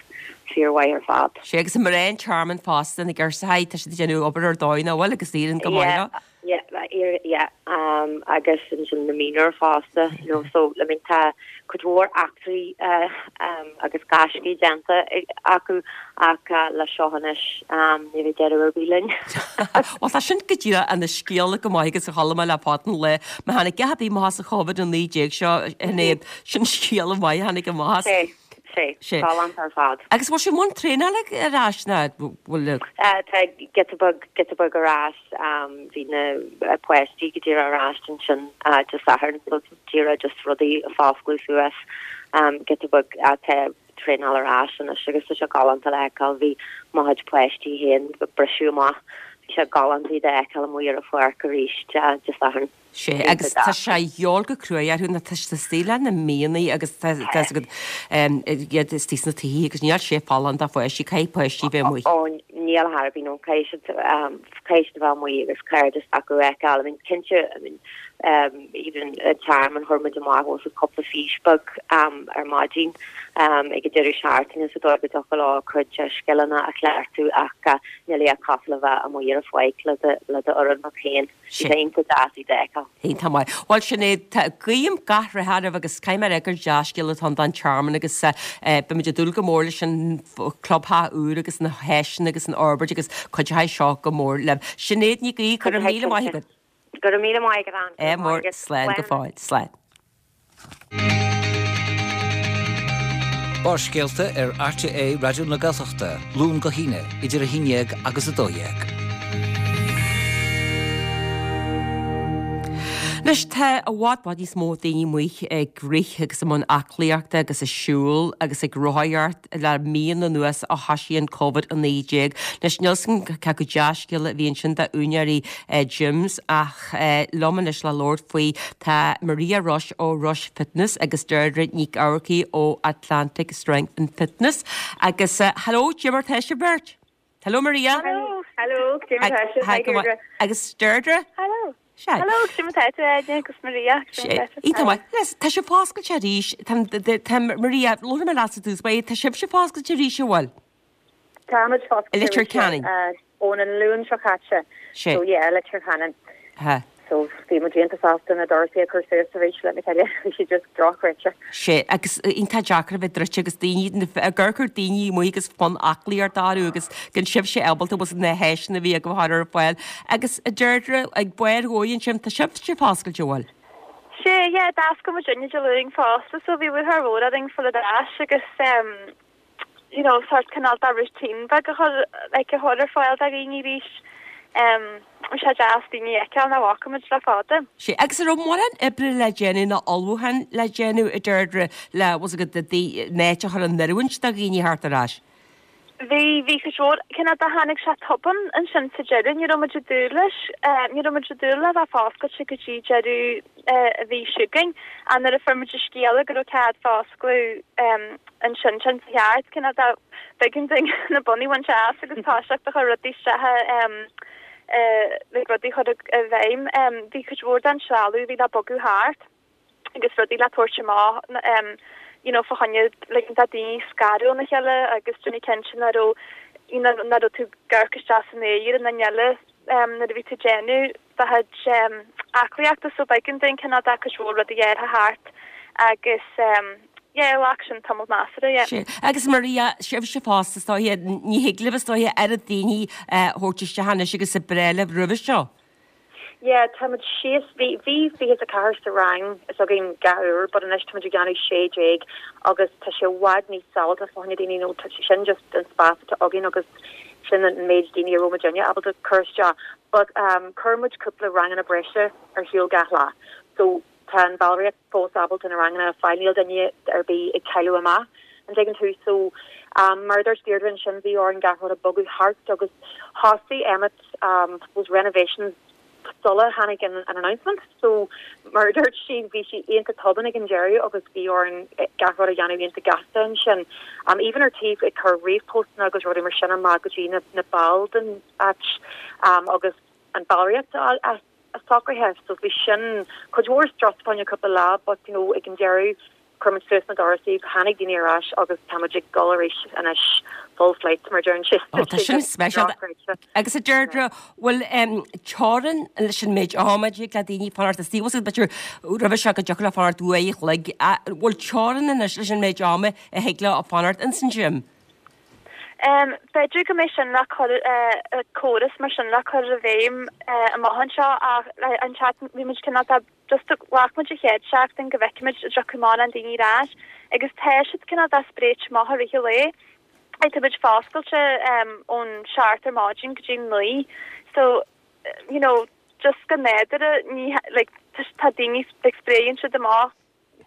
fíormhaith ar fad. Sea agus mná an tearmainn fosta na girseachaí tá siad ag déanamh obair ar dóigh nach bhfuil agus éiríonn go maith leo. Yeah, yeah, yeah, um, agus ansin na mionúir fosta, you know, so I mean tá cuid mhór eachtraí uh, um, agus gaiscí déanta acu ach uh, le seo anois um, ní bheidh deireadh ar bith linn. Well tá sin go díreach ana scéal go maith agus a chuala mé le fada an lá má tháinig a bhí amach as an Covid a naoi déag seo in sin scéal maith a tháinig amach as. Sé, sé, galánta ar fad. Agus bhfuil sé i mbun traenála ar ais ná bhfuil? Tá giota beag, giota beag ar ais, bhí na páistí go díreach ar ais ansin Dé Sathairn so díreach just rudaí a foscladh suas giota beag tá traenáil ar ais anois agus tá sé galánta le feiceáil, bhí mo chuid páistí féin ag briseadh amach, bhí sé galánta iad a fheiceáil amuigh ar an pháirc arís Dé Sathairn. Sea, agus tá sé a dhíobháil go cruaidh orthu nó tá siad istigh le na míonna agus tá a fhios agat iad istigh sna tithe agus níl sé folláin do pháistí, caithfidh páistí bheith amuigh. Ó, níl ar bith, no, caithfidh siad, caithfidh siad a bheith amuigh agus cairdeas acu a fheiceáil. I mean, cinnte, I mean, even an tearmann chuir muid amach os cúpla fís beag ar maidin ag an deireadh seachtaine sa dóigh go dtiocfadh leo cuid scileanna a chleachtadh ach níl a dhath cosúil le bheith amuigh ar an pháirc le do le d'fhoireann féin. Bhí sé iontach deas iad a fheiceáil. Iontach maith. Bhuel, Sinéad, tá, guím gach rath oraibh agus caithfidh mé a rá gur dea-scéal atá ann don Tearmann agus beimid ag dúil go mór leis an clubtheach úr agus na háiseanna agus an fhorbairt agus cuideoidh seo go mór libh. Sinéad Ní Ghaoith, go raibh míle maith agat. Go raibh míle maith agat, Anne. Ádh mór, slán go fóill. Slán. Barrscéalta ar RTÉ Raidió na Gaeltachta, Luan go hAoine, idir a haon dhéag agus a dó dhéag. Anois tá i bhfad bhfad níos mó daoine amuigh ag rith agus i mbun aclaíochta agus ag siúl agus ag rothaíocht le míonna anuas ó thoisigh an Covid a naoi déag. Anois níl 's agam cé chomh dea-scéala a bhí ansin d'úinéirí gyms ach liom anois le labhairt faoi tá Maria Rush ó Rush Fitness agus Deirdre Nic Eamharcaigh ó Atlantic Strength and Fitness. Agus hello, cad é mar tá sibh beirt? Hello Maria. Hello, hello, cad é mar tá sibh? Hi Deirdre. Agus Deirdre? Hello. Sea. Hello, cad é mar tá tú Áine agus Maria. Iontach maith. Yes, tá sibh foscailte arís. Tá, tá, Maria, labharfaidh mé leatsa i dtús báire, tá sibhse foscailte arís, an bhfuil? Táimid foscailte I Leitir Ceanainn. ón an Luan seo caite. Sea. So yeah, Leitir Ceanainn. Ha. So bhí muid iontach sásta na doirse a chur suas arís le na chéile. Bhí siad just drochghreidte. Sea, agus iontach deacair a bheith druidte agus daoine, ag amharc ar daoine amuigh agus fonn aclaíochta orthu agus gan sibhse ábalta bhfuil na háiseanna a bhí agaibh a chur ar fáil. Agus a Deirdre, ag Barr Dhóigh ansin, tá sibhse foscailte, an bhfuil? Sea, yeah, d'oscail muid inniu Dé Luain fosta so bhí lúcháir mhór orainn fáil ar ais agus em, you know, sort cineál de routine beag a chur, like, a chur ar fáil do dhaoine arís. Em, bhí sé deas daoine a fheiceáil nach bhfaca muid le fada. Sea, agus an raibh mórán oibre le déanamh nó ullmhúchán le déanamh, a Deirdre, le, bhfuil a fhios agat, an áit a chur in oiriúint do dhaoine theacht ar ais? Bhí, bhí cuid mhór, cineál de tháinig sé tobann ansin sa deireadh, ní raibh muid ag dúil leis, ní raibh muid ag dúil le bheith foscailte go dtí deireadh an mhí seo chugainn ach nuair a fuair muid an scéala go raibh cead foscladh ansin sin sa cheart, cineál de b'éigean dúinn na bonnaí a bhaint as agus toiseacht a chur rudaí isteach like rudaí a chur i bhfeidhm. Bhí cuid mhór den trealamh a bhí le bogadh thart. agus rudaí le tabhairt amach you know fá choinne ligean do daoine scaradh óna chéile agus déanamh cinnte nach raibh you know nach raibh tú ag amharc isteach san aer an duine eile nuair a bhí tú ag déanamh do chuid aclaíochta so b'éigean dúinn cineál de cuid mhór rudaí a athrú thart agus yeah ghlac sin tamall measartha yeah. Sea. Agus Maria, sibhse fosta is dóiche, ní thig libh is dóiche oiread daoine a thabhairt isteach anois agus ab ghnách libh roimhe seo. Yeah, táimid síos, bhí, bhí fiche is a ceathair sa rang is againn gach uair but anois táimid ag déanamh sé déag agus tá sé i bhfad níos sábháilte fá choinne daoine nó tá sé sin just an spás atá againn agus sin an méid daoine a raibh muidinne ábalta cur isteach but um chuir muid cúpla ranganna breise ar siúl gach lá so tá an bhallraíocht fós ábalta na ranganna a fháil níl duine ar bith ag cailleadh amach an dtuigeann tú so um mar a dúirt Deirdre ansin bhí orainn gach rud a bogadh thart agus thosaigh Emmet um suppose renovations sula tháinig an an announcement so mar a dúirt sí bhí sí iontach tobann ag an deireadh agus bhí orainn gach rud a dhéanamh iontach gasta ansin. Um, even ar taobh ag cur ríomhphostanna agus rudaí mar sin amach go dtí na, na baill den áit um, agus an ballraíocht a, a, a socraithe so bhí sin cuid mhór strus fá choinne cúpla lá but you know ag an deireadh chuir muid suas na dorasaí tháinig daoine ar ais agus táimid ag dul arís anois full flight mar deireann sé. Ó tá sin speisialta. Agus a Deirdre bhfuil teorainn leis an méid ama a dtig le daoine fanacht istigh b'fhéidir roimhe seo go dtiocfadh leo fanacht uair a chloig bhfuil teorainn anois leis an méid ama a thig leo fanacht ins an gym? Um, B'fhéidir go mbeidh sin le cur uh, córas mar sin le cur i bhfeidhm uh, amach anseo ach an chat bhí muid cineál just ghlac muid an chéad seachtain go bhfeicfimid an dtiocfaidh mórán daoine ar ais agus tá siad cineál dá spréit amach i rith an lae. Tá muid foscailte um, ón seacht ar maidin go dtí naoi so you know just go nádúrtha ní like tá daoine like spréann siad amach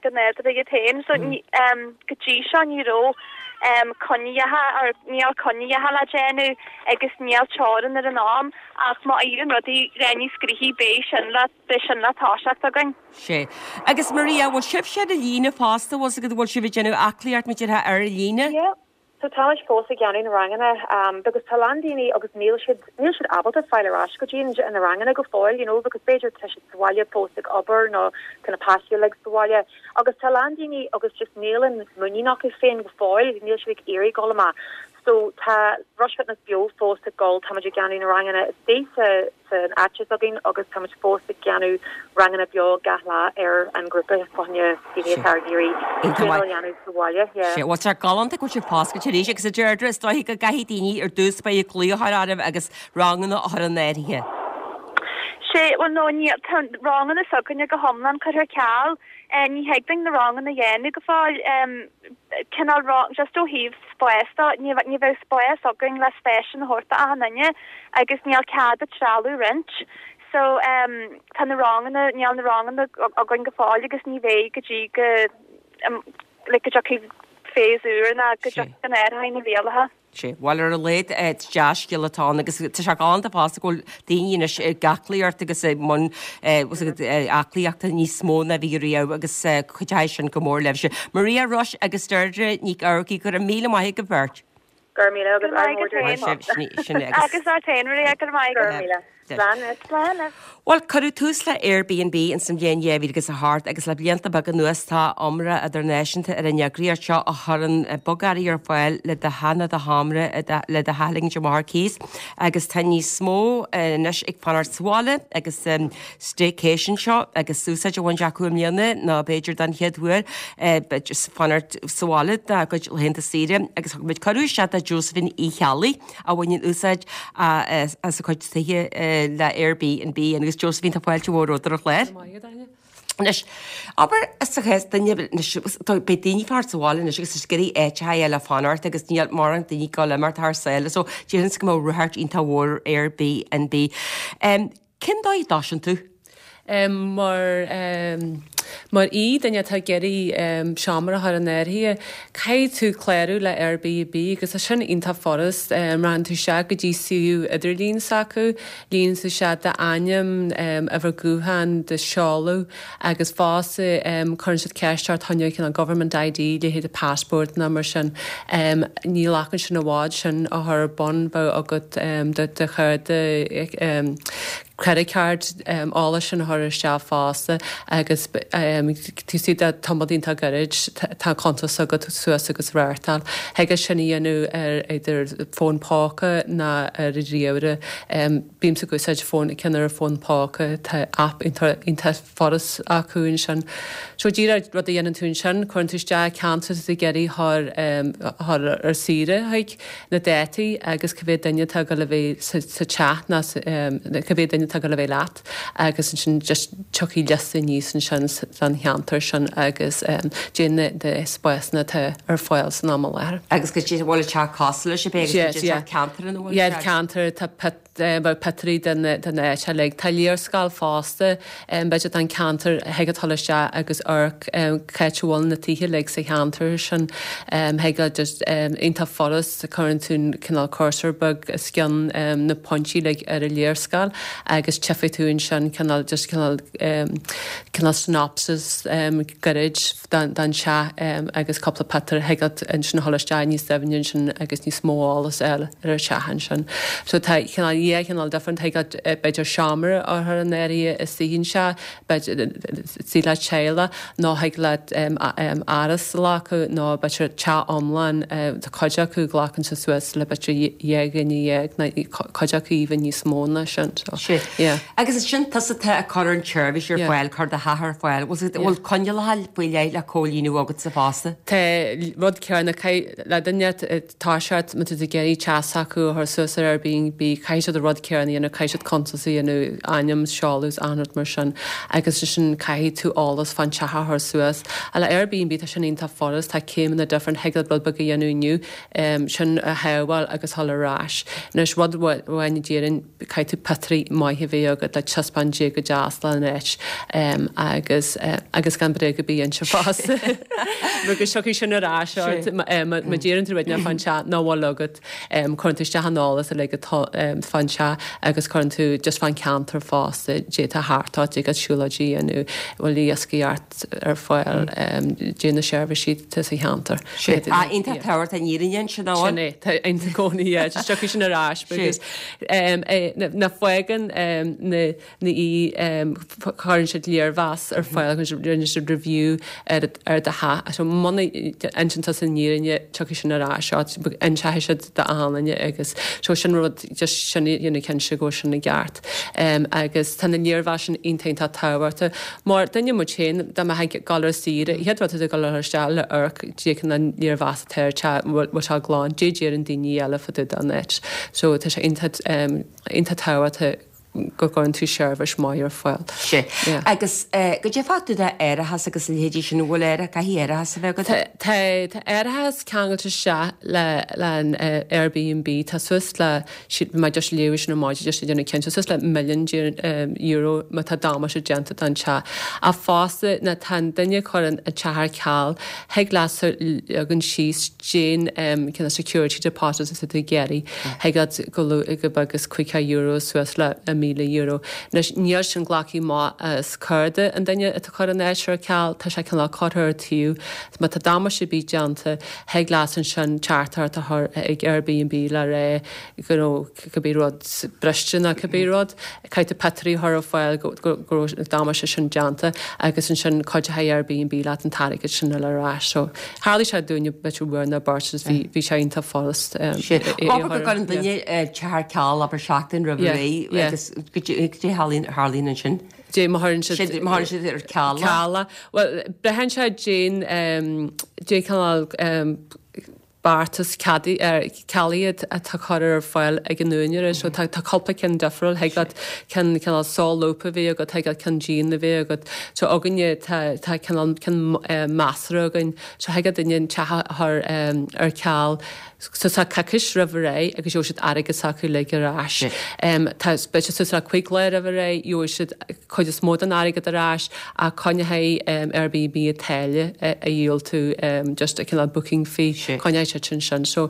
go nádúrtha iad féin so mm. um, go dtí seo ní raibh um, coinníollacha ar níl coinníollacha le déanamh agus níl teorainn ar an am ach má éiríonn rudaí níos gnoithí beidh sin le beidh sin le toiseacht againn. Sé. Agus Maria bhfuil sibh ar líne fosta bhfuil go bhfuil sibh ag déanamh aclaíocht mar déarfá ar líne? Yeah. So táimid fós ag déanamh na ranganna um, because tá lán daoine agus níl siad níl siad ábalta fáil ar ais go dtí na ranganna go fóill, you know, because b'fhéidir tá siad sa bhaile fós ag obair nó tá na páistí like sa bhaile agus tá lán daoine agus just níl an muinín acu féin go fóill, níl siad ag iarraidh dul amach. So tá Rush Fitness beo fós ag dul táimid ag déanamh na ranganna istigh sa san áit againn agus táimid fós ag déanamh ranganna beo gach lá ar an grúpa fá choinne daoine atá ag iarraidh déanamh sa bhaile. Sé bhfuil sé galánta go bhfuil sibh foscailte arís agus a Deirdre is dóigh go gcaithfidh daoine ar dtús báire glaoch a chur oraibh agus ranganna a chur in áirithe. Sé well no ní tá ranganna s'againne go hiomlán curtha ar ceal ní thig linn na ranganna a dhéanamh go fóill cineál just ó thaobh spás de ní ní bheadh spás againn le spás a thabhairt d'achan duine agus níl cead trealamh roinnt. So um, tá na ranganna níl na ranganna againn go fóill agus ní bheidh go dtí go um, le go dtiocfaidh phase úr ná go dtiocfaidh an airhain na rialacha. Sé bhil ar a léad deascil atá agus tá sé galánta fosta go bhfuil daoine anois ag aclaíocht agus i mbun aclaíochta níos mó ná bhí riamh agus cuideoidh sin go mór libhse. Maria Rush agus Deirdre Ní Earcaí go raibh míle maith agaibh beirt. Gur míle agus agus ort féin Maria go maith. Well cuireadh tús le Airbnb in san bhliain dhá mhíle agus a hocht agus le blianta beaga anuas tá iomrá idirnáisiúnta ar an eagraíocht seo a chuireann bogearraí ar fáil le do theach nó do sheomra le do theach a ligint amach ar cíos agus tá níos mó anois ag fanacht sa bhaile agus um, staycation seo agus úsáid á bhaint acu i mbliana nó b'fhéidir don chéad uair fanacht sa bhaile dá gcuid laethanta saoire agus thug muid cuireadh isteach do Josephine Uí Cheallaigh a bhaineann úsáid as a cuid tithe le Airbnb agus Josephine tá fáilte mhór romhat ar an chlár. Anois abair sa chás duine beidh daoine fanacht sa bhaile anois agus is ag iarraidh áit a fháil le fanacht agus níl mórán daoine ag dul imeacht thar sáile so déarfainn go mbeadh ráchairt iontach mhór Airbnb. Um, Cén dóigh a dtosaíonn tú? Um, mar um, mar í duine atá ag iarraidh um, seomra a chur in áirithe, caithfidh tú clárú le Airbnb agus tá sin iontach furast um, rachaidh tú isteach go dtí suíomh idirlín s'acu, líonann tú isteach d'ainm um, uimhir gutháin do sheoladh agus fosta um, cuireann siad ceist ort fá choinne an government ID leithéid passport ná mar sin um, ní ghlacann sin i bhfad sin a chur ar bun bheadh agat um, do do chárta um, credit card um, eolas sin a chur isteach fosta agus um, tú si de tamall iontach gairid tá cuntas agat suas agus reáchtáil. Thig sin a dhéanamh ar idir fón póca ná ar ríomhaire um, bímse ag úsáid fón ceann ar fón póca tá app iontach furast acu ansin. So díreach rud a dhéanann tú ansin cuireann tú isteach ceantar ag iarraidh thar um, thar ar saoire chuig na dátaí agus cá mhéad duine atá le bheith sa teach ná um, cá mhéad duine atá le bheith leat agus ansin just tiocfaidh liosta aníos ansin san cheantar sin agus um, déan de spásanna atá ar fáil san am i láthair. Agus go dtí bhfuil teach cosúil sé ceantar an Yeah, ceantar tá pictiúirí den den áit like tá léarscáil fosta b'fhéidir an ceantar thig dul isteach agus amharc cá bhfuil na tithe like sa cheantar sin thig just iontach furast cuireann tú cineál cursor beag os cionn na pointí like ar a léarscáil agus agus tchífidh tú ansin cineál just cineál cineál synopsis gairid den teach agus cúpla pictiúr thig leat ansin a dhul isteach níos doimhne ansin agus níos mó eolas a fháil ar an teach ansin. So tá cineál dhá chineál different thig leat b'fhéidir seomra a chur in áirithe istigh anseo b'fhéidir suí le teaghlach nó thig leat áras a ghlacadh nó b'fhéidir teach iomlán tá cuid acu glacann sé suas le b'fhéidir dhá dhuine dhéag nó cuid acu even níos mó ná sin. So, Sin. yeah. Agus is sin tusa atá ag cur an tseirbhís ar Yeah. fáil, cur do theach ar fáil. Bhfuil Yeah. bhfuil coinníollacha faoi leith le comhlíonadh agatsa fosta? Tá rud céanna le duine tá siad má tá tú ag iarraidh teach s'acu a chur suas ar Airbnb caithfidh siad an rud céanna a dhéanamh caithfidh siad cuntas a dhéanamh ainm seoladh is achan rud mar sin agus sin caithfidh tú eolas fán teach a chur suas. A le Airbnb tá sin iontach furast tá céimeanna different thig leat rud beag a dhéanamh inniu um, sin a shábháil agus dhul ar ais. Anois rud amháin a déarfainn caithfidh tú pictiúirí maith a bheith agat le taispeáint dé go deas le an áit um, agus uh, agus gan bréag a bheith inti fosta. Mar go tiocfaidh sin ar ais ort má má deireann tú rud fán teach nach bhfuil agat um, cuireann tú isteach an eolas uilig atá um, fán teach agus cuireann tú just fán ceantar fosta dé tá thart ort agus siúlóidí nó bhfuil iascaireacht ar fáil um, dé na seirbhísí tá sa cheantar. Ah, iontach tábhachtach an fhírinne sin Sin amháin. é, tá ionta cónaí just tiocfaidh sin ar ais because um, eh, na, na fágann um, na, na í um, chuireann siad léirmheas ar fáil agus rinne siad review ar ar do theach so muna n-insíonn tú an fhírinne tiocfaidh sin ar ais inseoidh siad d'aon duine agus so sin rud just sin dhéanamh cinnte go sin i gceart um, agus tá na léirmheas sin iontach iontach tábhachtach mar duine muid féin dá mbeifeá ag dul ar saoire chéad rud ag dul ar isteach le amharc dé an an léirmheas atá ar teach bhfuil sé glan dé deireann daoine eile fá dtaobh den áit so tá sé iontach um, iontach tábhachtach go gcuireann tú seirbhís maith ar fáil. Sé. Yeah. Agus eh, goidé fá dtaobh d'árachas agus a leithéidí sin bhfuil air caithfidh árachas a bheith agat? Tá tá árachas ceangailte isteach le le an uh, Airbnb tá suas le siad má just léamh sin má just déanamh cinnte suas le million um, euro má tá damáiste déanta don teach. A fosta na tá an duine chuireann a teach ar ceal thig leat leagan síos cén um, cineál security deposit is tú ag iarraidh thig leat go go beag is cúig euro suas le a míle euro. Anois níl sin glactha amach as cárta an duine atá chur an áit ar ceal tá sé cineál curtha ar taobh má tá damáiste ar bith déanta thig leat ansin teachtaireacht a chur ag Airbnb le rá go raibh cibé rud briste nó cibé rud caithfidh tú pictiúirí a chur ar fáil go go go raibh damáiste sin déanta agus ansin cuideoidh Airbnb leat an t-airgead sin a fháil ar ais so tharla sé dúinne b'fhéidir uair nó beirt agus bhí bhí sé iontach furast um, Sé. é- é a Abair go chur- gcuireann yeah. duine eh, teach ar ceal abair seachtain roimh Yeah, ré yeah. agus goidé tharlaíonn tharlaíonn ansin. Dé má chuireann siad Siad- má chuireann siad ar ceal. ceal. Well braitheann sé cén um, cén cineál um, beartas cealaithe atá curtha ar fáil ag an úinéir so tá tá cúpla ceann difriúil thig leat ceann cineál solúbtha a bheith agat thig leat ceann dian a bheith agat so againne tá tá cineál ceann eh, measartha againn so thig le duine an teach a chur um, ar ceal so sa coicís roimh ré agus gheobhaidh siad airgead s'acu uilig ar ais. Um, tá b'fhéidir suas le cúig lá roimh ré gheobhaidh siad cuid is mó den airgead ar ais a coinneoidh um, Airbnb a táille a, a dhíol tú um, just a cineál booking fee coinneoidh siad sin sin. So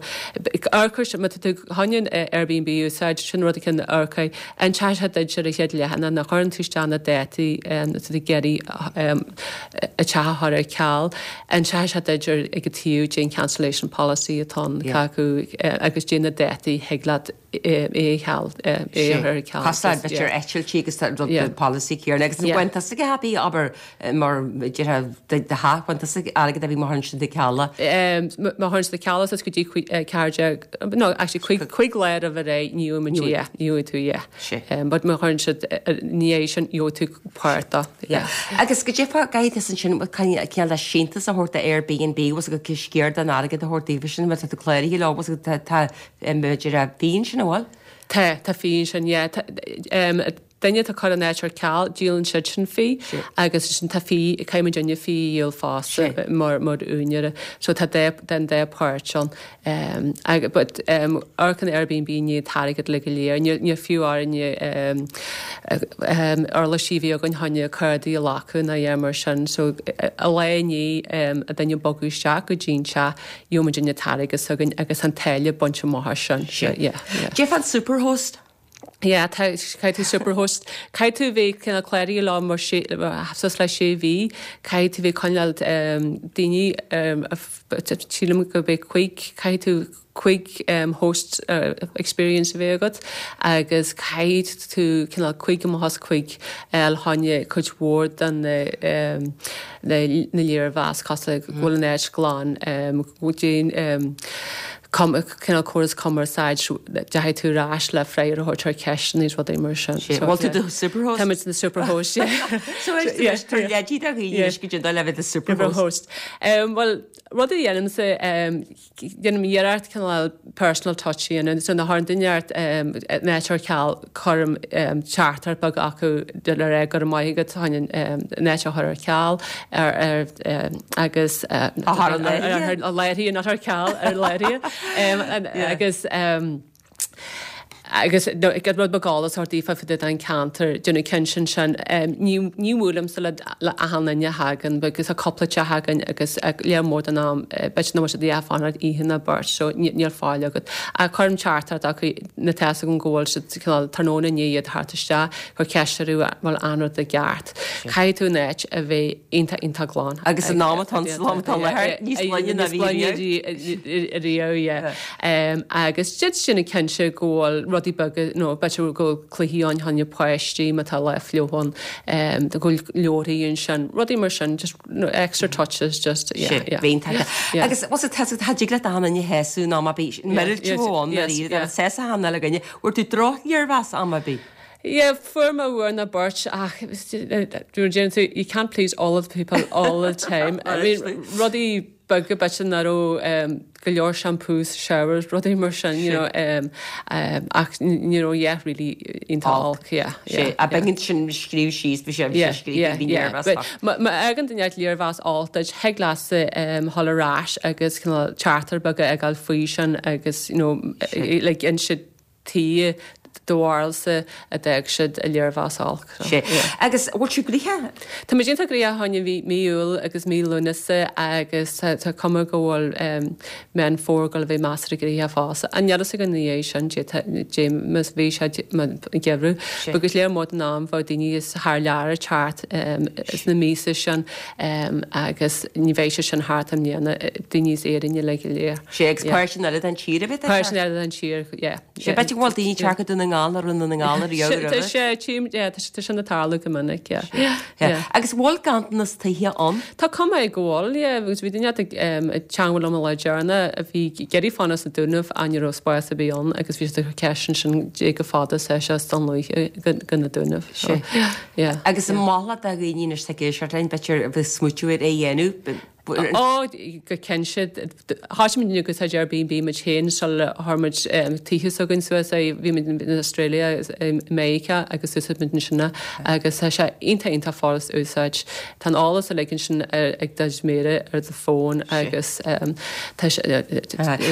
amharc má tá tú chun Airbnb úsáid sin rud cinn amharc inseoidh sé duit ar a chéad leathanach nuair a chuireann tú isteach na dátaí um, tú ag iarraidh um, a teach a chur ar ceal inseoidh sé duit ar ag an taobh cén cancellation policy atá Yeah. acu eh, agus cén na dátaí thig leat é a cheal é a chur ar ceal. Costáil b'fhéidir eitiltí agus tá rud Yeah. the policy céanna agus Yeah. bhain tusa happy abair eh, mar deir de ha bhain tusa airgead a bhí mar sin de cealla. Um, má chuireann siad ceal is go dtí ceathair no actually cúig cúig lá roimh ré ní yeah ní tú yeah. Um, but má chuireann siad ní é sin gheobhaidh tú páirt de Yeah. Agus goidé fá gaid is ansin cineál le síntiús a thabhairt do Airbnb was go sciar den airgead a thabhairt daofa sin tá tú cláraithe leo was tá tá b'fhéidir fee sin bhfuil? Tá tá fee sin yeah tá um, duine atá chur an áit ar ceal díolann siad sin fee agus sin tá fee caithfidh duine fee a dhíol fosta mar mar úinéir so tá dá den dá páirt an um, ag, but um, amharcann Airbnb ní t-airgead le go léir ní ní fiú orainne um, um, uirlisí bhí againn chun cártaí a ghlacadh ná é mar sin so a lá ní um, a duine bogadh isteach go dtí an teach gheobhaidh muid an t-airgead againn agus an táille bainte amach sin so, yeah, yeah. Jeff an superhost? Yeah, tá caithfidh tú superhost. Caithfidh tú bheith cineál cláraithe leo mar sé suas le sé mhí, caithfidh tú bheith coinneáil daoine sílim go bheith cúig, caithfidh tú cúig host experience a bheith agat agus caithfidh tú cineál cúig amach as cúig le choinne cuid mhór den na léirmheas cosúil le go bhfuil an áit glan, go dtéann cineál córas cumarsáid, deachaigh tú ar ais le freagra a thabhairt ar ceisteanna is rudaí mar sin. Sé, bhfuil tú do superhost? Tá muid na superhost, yeah. So is tar leidí do dhaoine anois go dtí dul le bheith do superhost. Bhuel, rud a dhéanaimse, déanaim iarracht cineál personal touch a dhéanamh. So nuair a thagann duine ort an áit ar ceal, cuirim teachtaireacht beag acu le rá go raibh maith agat, tháinig an áit a chur ar ceal ar ar agus A chur ar láithre. Ar láithre, not ar ceal, ar láithre. Agus agus rud beag eolas a thabhairt daofa fá dtaobh den cheantar, déanamh cinnte ansin. Ní ní bhuailimse le le achan duine a thagann agus tá cúpla teach againn agus lear mór den am b'fhéidir nach bhfuil siad ag fanacht oíche ná beirt so níl fáil agat. Ach cuirim teachtaireacht acu nuair atá fhios agam go bhfuil siad cineál tráthnóna i ndiaidh iad theacht isteach, cur ceist orthu an bhfuil aon rud i gceart. Caithfidh tú an áit a bheith iontach iontach glan. Agus an am atá ann sa lá atá i láthair, níos glaine ná bhí riamh. Riamh, yeah. Agus déanamh cinnte go bhfuil rudaí beaga, nó b'fhéidir go bhfuil cluichí ann choinne páistí má tá lá fliuch ann, go bhfuil leabharthaí ansin, rudaí mar sin, just extra touches, just, yeah, yeah. Bhíonn taca. Agus what's it, tá dtig leat achan duine a shásamh nó má bhí meireadh tú ann ar iarraidh, agus sásamh achan uile dhuine, bhfuair tú droch-léirmheas am ar bith? Yeah, fuair mé uair nó beirt ach déanann tú, you can't please all of the people all the time. I mean, rudaí beaga b'fhéidir nach raibh go leor shampoo sa showers, rudaí mar sin, you know, ach ní raibh yeah really iontach olc, yeah, yeah. Sé, a b'éigean sin scríobh síos, bhí sé, bhí sé scríofa, bhí léirmheas yeah. Má fhágann duine léirmheas olc duit, thig leatsa dhul ar ais agus cineál teachtaireacht beag a fhágáil faoi sin agus, you know, like inse tuige do bharúilsa a d'fhág siad a léirmheas olc. Sé. Agus bhfuil tú gnoitheach? Tá muid iontach gnoitheach fá choinne mhí mí Iúil agus mí Lúnasa agus tá tá cuma go bhfuil Meán Fómhair ag dul a bheith measartha gnoitheach fosta. An níl fhios againn ina dhiaidh sin dé má bhí sé geimhreadh. Agus lear mór den am bheadh daoine as thar lear ag teacht sna míosa sin agus ní bheidh sé sin thart i mbliana, daoine as Éirinn uilig go léir. Sé agus páirteanna eile den tír a bheith ag teacht. Páirteanna eile den tír, yeah. Sé b'fhéidir go bhfuil daoine ag teacht go Dún na nGall nach raibh i nDún na nGall ariamh roimhe. Tá sé, tchím, yeah, tá sé sin ag tarlú go minic, yeah. Yeah. Agus bhfuil ganntanas tithe ann? Tá cuma air go bhfuil, yeah, agus bhí duine ag teangmháil liom an lá deireanach a bhí ag iarraidh fanacht sna Dúnaibh ach ní raibh spás ar bith ann agus bhí siad ag cur ceist ansin dé chomh fada is atá sé as Dún Lúiche go go na Dúnaibh. Sé. Yeah. Agus an maith leat do dhaoine anois atá ag éisteacht linn, b'fhéidir a bheith ag smaoitiú ar é a dhéanamh, Ó, go cinnte. Thosaigh muid ag úsáid Airbnb muid féin sula chuir muid tithe s'againn suas. Bhí muid in Australia agus i Meiriceá agus úsáid muid ansin é agus tá sé iontach iontach furast a úsáid. Tá an eolas uilig ansin ag do mhéara ar do fón agus tá sé.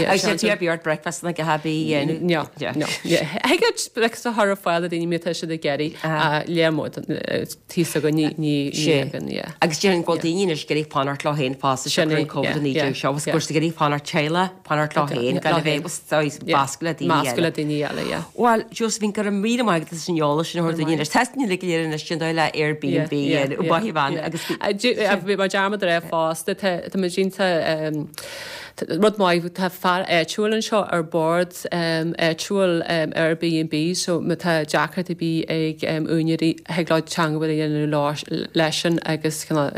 Agus níl tú ar bith ort breakfast na gach bí a dhéanamh? No, no. Thig leat breakfast a chur ar fáil do daoine má tá siad ag iarraidh ach lear mór tithe s'againn ní ní againn, yeah. Agus déarfainn go bhfuil daoine anois ag iarraidh fanacht leo féin fosta Sin siocair é, an Covid yeah, a naoi yeah, déag seo agus yeah. go bhfuil siad ag iarraidh fanacht teaghlach, fanacht leo féin, gan a bheith Meascadh meascadh le daoine Meascadh eile. le daoine eile, yeah. Bhuel, Josephine, go raibh míle maith agat as an eolas sin a thabhairt dúinn anois. Tá muid uilig go léir anois an dóigh le Airbnb Yeah, yeah, yeah, yeah, bhean yeah. agus Uh, dú- uh, Bhí mé dearmad a rá fosta, tá tá muid iontach um, Rud maith, tá fear áitiúil anseo ar bord áitiúil Airbnb so má tá deacracht ar bith ag úinéirí thig leo teangmháil a dhéanamh leisean agus kind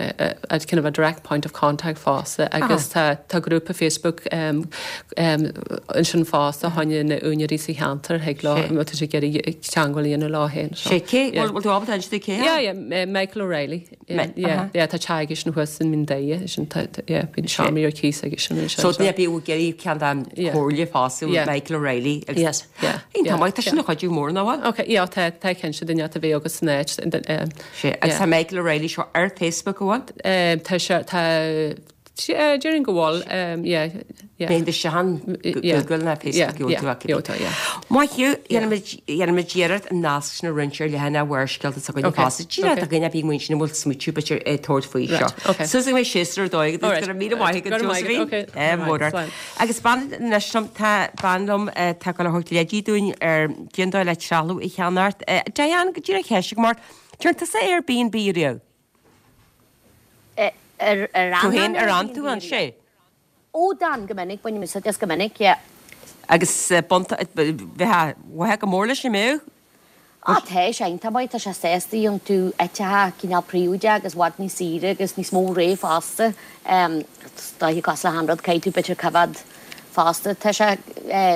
of a direct point of contact fosta agus tá tá grúpa Facebook ansin fosta choinne na úinéirí sa cheantar thig leo má tá siad ag iarraidh teangmháil a dhéanamh leo féin. Sé cé, bhfuil tú ábalta insint cé? Yeah, yeah, Michael O'Reilly. Yeah, yeah, tá teach aigesean thuas in Mín Doire, sin tá, yeah, bíonn seomraí ar cíos aigesean ansin. So duine ar bith a bhfuil ag iarraidh ceann den chomhairle fosta Yeah. Michael O'Reilly agus Yes, yeah, Iontach yeah, maith, tá sin yeah. ina chuidiú mór nach bhfuil? Ok, yeah, tá, tá cinnte duine a bheith agus san áit. um, Sé, agus yeah. tá Michael O'Reilly seo ar Facebook an bhfuil? Um, tá sé, tá, déarfainn go bhfuil, um, yeah, Yeah. Bíonn isteach an Google ná Facebook gheobhaidh tú. Maith thú, dhéanfaimid iarracht an nasc sin a roinnt ar leathanach Bharrscéalta s'againne fosta. Díreach do dhuine a bhí muid sin a bhfuil smaoitiú b'fhéidir ag tabhairt faoi seo. Suas go mbeidh séasúr ar dóigh agat, go raibh míle maith agat Josephine. Mór ort. Agus bean anois liom, tá bean liom atá ag dul a thabhairt leidí dúinn ar cén dóigh le trealamh a cheannacht. Diane, go díreach ceist agam ort, dearn tusa Airbnb riamh? Ar Tú féin ar fhan tú ansin? Ó, d'fhan, go minic, bainim úsáid as go minic, yeah. Agus bheifeá mhaith go mór leis an mbeadh? Á, tá sé iontach maith, tá sé sásta, gheobhann tú áiteacha cineál príobháideach agus i bhfad níos saoire agus níos mó rogha fosta. Is dóiche cosúil le haon rud, caithfidh tú b'fhéidir coimhéad fosta. Tá sé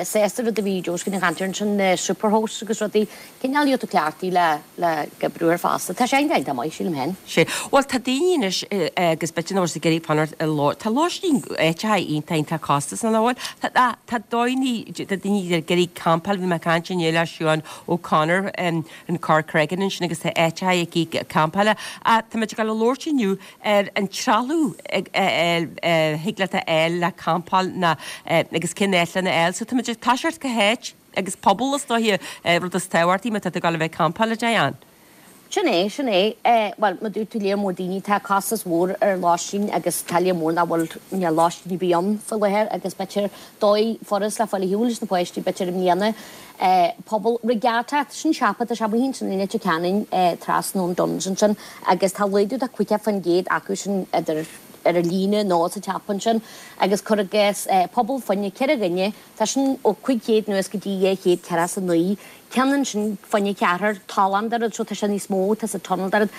sásta rud a bhí Josephine ag caint air ansin, na superhosts agus rudaí, cineál gheobhaidh tú cleachtaí le le oibriú air fosta. Tá sé iontach iontach maith, sílim féin. Sea. Bhuel, tá daoine anois agus b'fhéidir nach bhfuil siad ag iarraidh fanacht i ló, tá lóistín áiteacha iontach iontach costasach nach bhfuil? Tá, tá, tá daoine, tá daoine ag iarraidh campáil, bhí mé ag caint inné le Siobhán O'Connor in Corcreggan ansin agus tá áiteacha aici campála. Ach tá muid ag dul a labhairt inniu ar an trealamh a thig leat a fháil le campáil ná agus cén áit lena fháil. So tá muid ag toiseacht cá háit agus puball is dóiche rud is tábhachtaí má tá tú ag dul a bheith ag campáil, a Diane. Sin é, sin é. Bhuel, mar dúirt tú lear mór daoine, tá costas mhór ar lóistín agus tá lear mór nach bhfuil, níl lóistín ar bith ann faoi láthair agus b'fhéidir dóigh furast le fáil ar shiúl leis na páistí b'fhéidir i mbliana. Puball Regatta, sin siopa, tá sé amuigh ansin i Leitir Ceanainn trasna ón Dunnes ansin agus tá laghdú de caoga faoin gcéad acu sin idir ar an líne nó sa tsiopa ansin agus cuir i gcás puball fá choinne ceithre dhuine, tá sin ó cúig chéad anuas go dtí dhá chéad ceathracha is a naoi, ceann ansin fá choinne ceathrar, tollán de rud, so tá sé níos mó, tá sa tunnel de rud,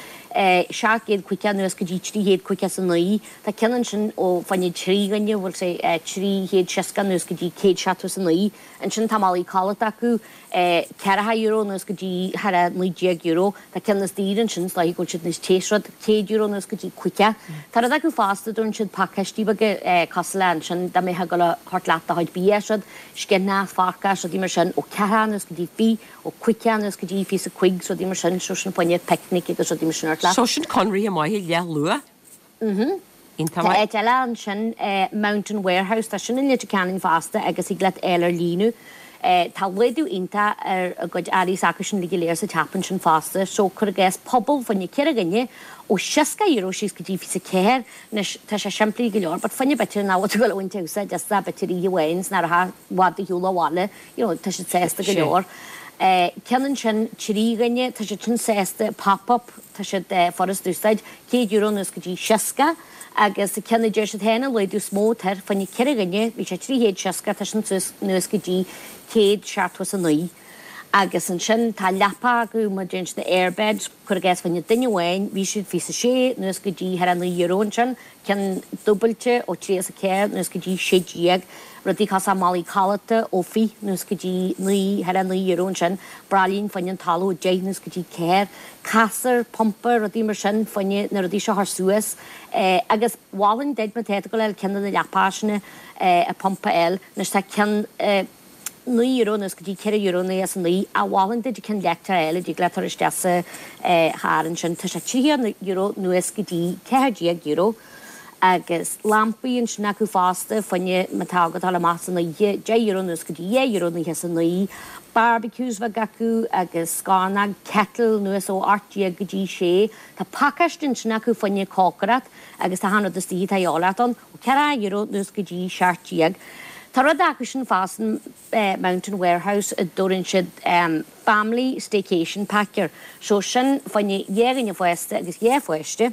seacht gcéad caoga anuas go dtí trí chéad caoga is a naoi, tá ceann ansin ó fá choinne trí dhuine, bhfuil sé trí chéad seasca anuas go dtí céad seachtó is a naoi, ansin tá málaí codlata acu, ceathracha euro anuas go dtí thar a naoi déag euro. Tá ceann níos daoire ansin, is dóiche go bhfuil siad níos te is rud, céad euro anuas go dtí caoga. Tá rud acu fosta, dtabharann siad pacáistí beaga cosúil le ansin dá mbeifeá ag dul a thabhairt leat do chuid bia is rud, sciathnach, forca is rudaí mar sin, ó ceathracha anuas go dtí fiche, ó caoga anuas go dtí fiche is a cúig is rudaí mar sin, so sin fá choinne picnic agus rudaí mar sin a thabhairt leat. So sin conradh maith i leith luath. Mhm. Iontach Tá maith. áit eile ansin, Mountain Warehouse, tá sin i Leitir Ceanainn fosta agus thig leat fháil ar líne. Tá laghdú iontach ar a gcuid earraí s'acusan uilig go léir sa tsiopa ansin fosta. So cuir i gcás puball fá choinne ceithre dhuine ó seasca euro síos go dtí fiche ceathair. Anois tá sé simplí go leor but fá choinne b'fhéidir nach bhfuil tú ag dul a bhaint úsáid as b'fhéidir oíche amháin 's nach raibh i bhfad ar shiúl abhaile, you know tá siad sásta go leor. Ceann ansin trí dhuine, tá siad sin sásta pop up, tá siad furast d'úsáid, céad euro anuas go dtí seasca agus ceann a deir siad féin an laghdú is mó atá air, fá choinne ceithre dhuine, bhí sé trí chéad seasca, tá sin suas anuas go dtí céad seachtó is a naoi. Agus ansin tá leapa acu mar deireann siad na airbeds, cuir i gcás fá choinne duine amháin, bhí siad fiche a sé anuas go dtí thar a naoi euro ansin, ceann dúbailte ó tríocha is a ceathair anuas go dtí sé déag, rudaí cosúil le málaí codlata ó fiche anuas go dtí naoi, thar a naoi euro ansin, braillín fá choinne an talamh ó deich anuas go dtí ceathair, casúr, pumpa, rudaí mar sin fá choinne na rudaí seo a chur suas. Agus mholfainn duit má tá tú ag dul a fháil ceann de na leapacha sin, a pumpa a fháil, anois tá ceann, naoi euro anuas go dtí ceithre euro naocha is a naoi ach mholfainn duit ceann leictreach a fháil a dtig leat a chur isteach sa charr ansin. Tá sé tríocha euro anuas go dtí ceathair déag euro agus lampaí ansin acu fosta fá choinne má tá agat dul amach san oíche, deich euro anuas go dtí dhá euro naocha is a naoi. Barbecues bheag acu agus scornóg, kettle anuas ó ocht déag go dtí sé. Tá pacáiste ansin acu fá choinne cócaireacht agus tá achan rud istigh atá a dhíobháil ort ann ó ceathracha euro anuas go dtí seacht déag. Tá rud acu sin fosta, Mountain Warehouse, a dtabharann siad Family Staycation Pack air. So sin fá choinne dhá dhuine fásta agus dhá pháiste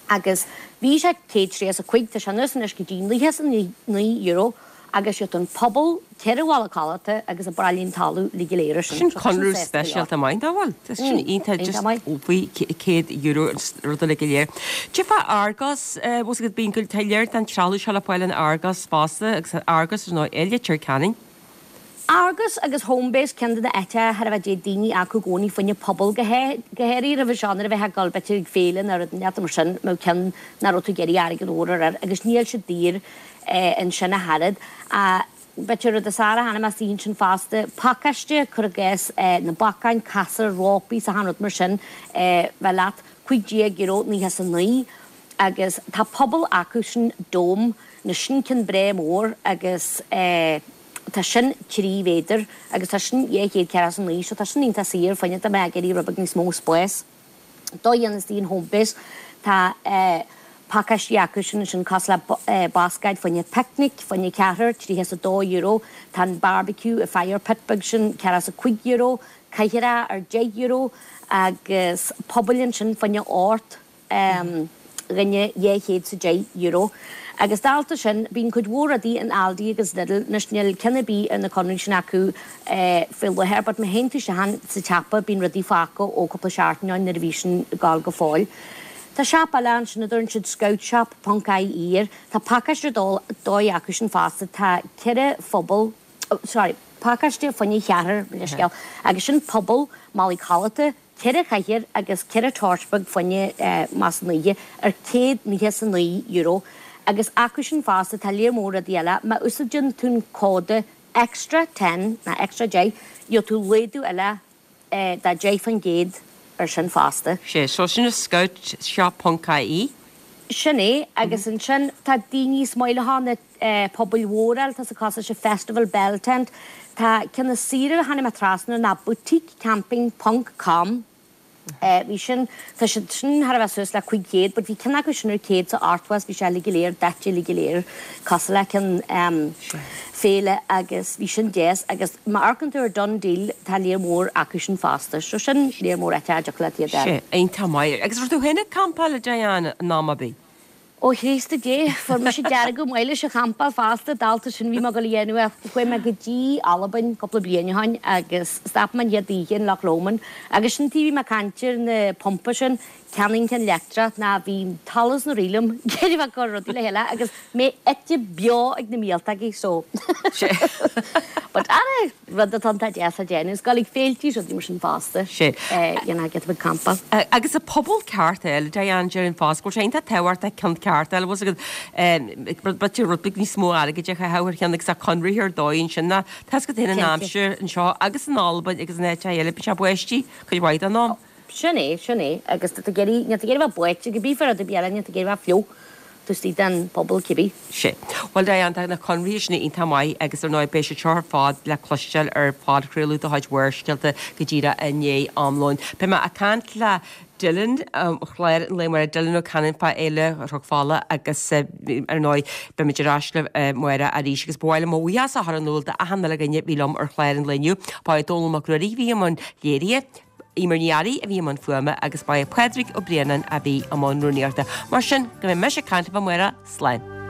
agus bhí sé céad tríocha is a cúig, tá sé anuas anois go dtí naocha is a naoi euro agus gheobhaidh tú an puball, ceithre mhála codlata agus an braillín talaimh uilig go léir ar sin. Sin conradh speisialta maith, nach bhfuil? Tá sin iontach, just faoi céad euro an rud uilig go léir. Cad é fá Argos, bhfuil agat bíonn go tá lear den trealamh seo le fáil in Argos fosta agus Argos ar ndóigh i Leitir Ceanainn. Argos agus Homebase ceann de na áiteacha thar a bheith dtéadh daoine acu i gcónaí fá choinne puball go háirithe roimhe seo nuair a bheifeá ag dul b'fhéidir ag féile nó rud inteacht mar sin mbeadh ceann nach raibh tú ag iarraidh airgead mhór a chur air agus níl siad daor ansin ach oiread. B'fhéidir rud is fearr a chonaic mé istigh ansin fosta, pacáiste, cuir i gcás, na bacáin, casúr, rópaí 's achan rud mar sin, bheith leat, cúig déag euro naocha is a naoi. Agus tá puball acu sin dome, na sin ceann breá mór agus tá sin trí mhéadar agus tá sin dhá chéad ceathracha is a naoi so tá sin iontach saor fá choinne dá mbeifeá ag iarraidh rud beag níos mó spáis. Dá dhéanamh istigh in Homebase tá pacáistí acu sin ansin cosúil le bascáid fá choinne picnic, fá choinne ceathrar, tríocha is a dó euro, tá an barbecue, fire pit beag sin ceathracha is a cúig euro, cathaoireacha ar deich euro agus pubaill ansin fá choinne ocht dhuine dhá chéad 's a deich euro. Agus dálta sin, bíonn cuid mhór rudaí in Aldi agus Lidl, anois níl ceann ar bith ar na conraí sin acu faoi láthair but má théann tú isteach sa tsiopa bíonn rudaí fágtha ó cúpla seachtain ó shin nuair a bhí sin ag gabháil go fóill. Tá siopa eile ansin a dtugann siad scoutshop ponc ie air, tá pacáiste ar dóigh acu sin fosta, tá ceithre phuball, sorry, pacáiste fá choinne cheathrar, mo leithscéal, agus sin puball, málaí codlata, ceithre chathaoir agus ceithre torch beag fá choinne más an oíche ar céad nócha is a naoi euro agus acu sin fosta tá léar mór rudaí eile, má úsáideann tú an cód extra ten nó extra deich gheobhaidh tú laghdú eile de deich faoin gcéad ar sin fosta. Sé, so sin scoutshop ponc ie. Sin é, agus ansin tá daoine is maith leo na pubaill mhóra eile, tá sa cás seo Festival Bell Tent, tá ceann is saoire a tháinig mé trasna ná Boutique Camping ponc com. Bhí sin, tá siad sin thar a bheith suas le cúig chéad but bhí ceann acu sin ar céad 's a ochtó is bhí sé uilig go léir daite uilig go léir cosúil le ceann féile agus bhí sin deas agus má amharcann tú ar DoneDeal tá léar mór acu sin fosta so sin léar mór áite a dtiocfadh leat iad a Sé, iontach maith. Agus raibh tú féin ag campáil a Diane in am ar bith? Ó Chríost a Dé, fuair mise deargadh maith leis an champáil fosta, dálta sin bhí mé ag dul a dhéanamh é. Chuaigh mé go dtí Albain cúpla bliain ó shin agus stop mé an chéad oíche in Loch Lomond agus sin taobh bhí mé ag caint ar na pumpa sin, ceannaím ceann leictreach ná bhí talamh sna rí liom ag iarraidh bheith ag cur rudaí le chéile agus mé ite beo ag na míoltógaí so but ara rud atá iontach deas a déanamh is dul ag féiltí is rudaí mar sin fosta Sé. you know get a bit campáil. Agus an puball ceart a fháil Diane déarfainn fosta go bhfuil sé iontach tábhachtach ceann ceart a fháil bhfuil agat b'fhéidir rud beag níos mó airgid a chaitheamh ar cheann agus a conraithe ar dóigh ansin ná tá 's agat féin an Cinnte. aimsir anseo agus in Albain agus in áiteacha eile bíonn sé báistí cuid mhaith den am. Sin é, sin é. Agus tá tú ag iarraidh, níl tú ag iarraidh a bheith báite, cibé fá rud ar bith eile, níl tú ag iarraidh a bheith fliuch taobh istigh den phuball cibé. Sea. Bhuel, Diane, tá na conraithe sin iontach maith agus ar ndóigh beidh siad seo ar fad le cloisteáil ar phodchraoladh de chuid Bharrscéalta go díreach i ndiaidh am lóin. Beidh mé ag caint le Dylan ar chlár an lae amárach, Dylan Ó Canainn fá Fhéile Chnoc Fola agus ar ndóigh beimid ar ais libh amárach arís agus ba mhaith liom mo bhuíochas a chur in iúl d'achan uile dhuine a bhí liom ar chlár an lae inniu. Ba é Dónall Mac Ruairí a bhí i mbun léirithe, Eimear Ní Fhearraigh a bhí i mbun fuaime agus ba é Pádraig Ó Braonáin a bhí i mbun rúnaíochta. Mar sin, go mbeidh mise ag caint libh amárach, slán.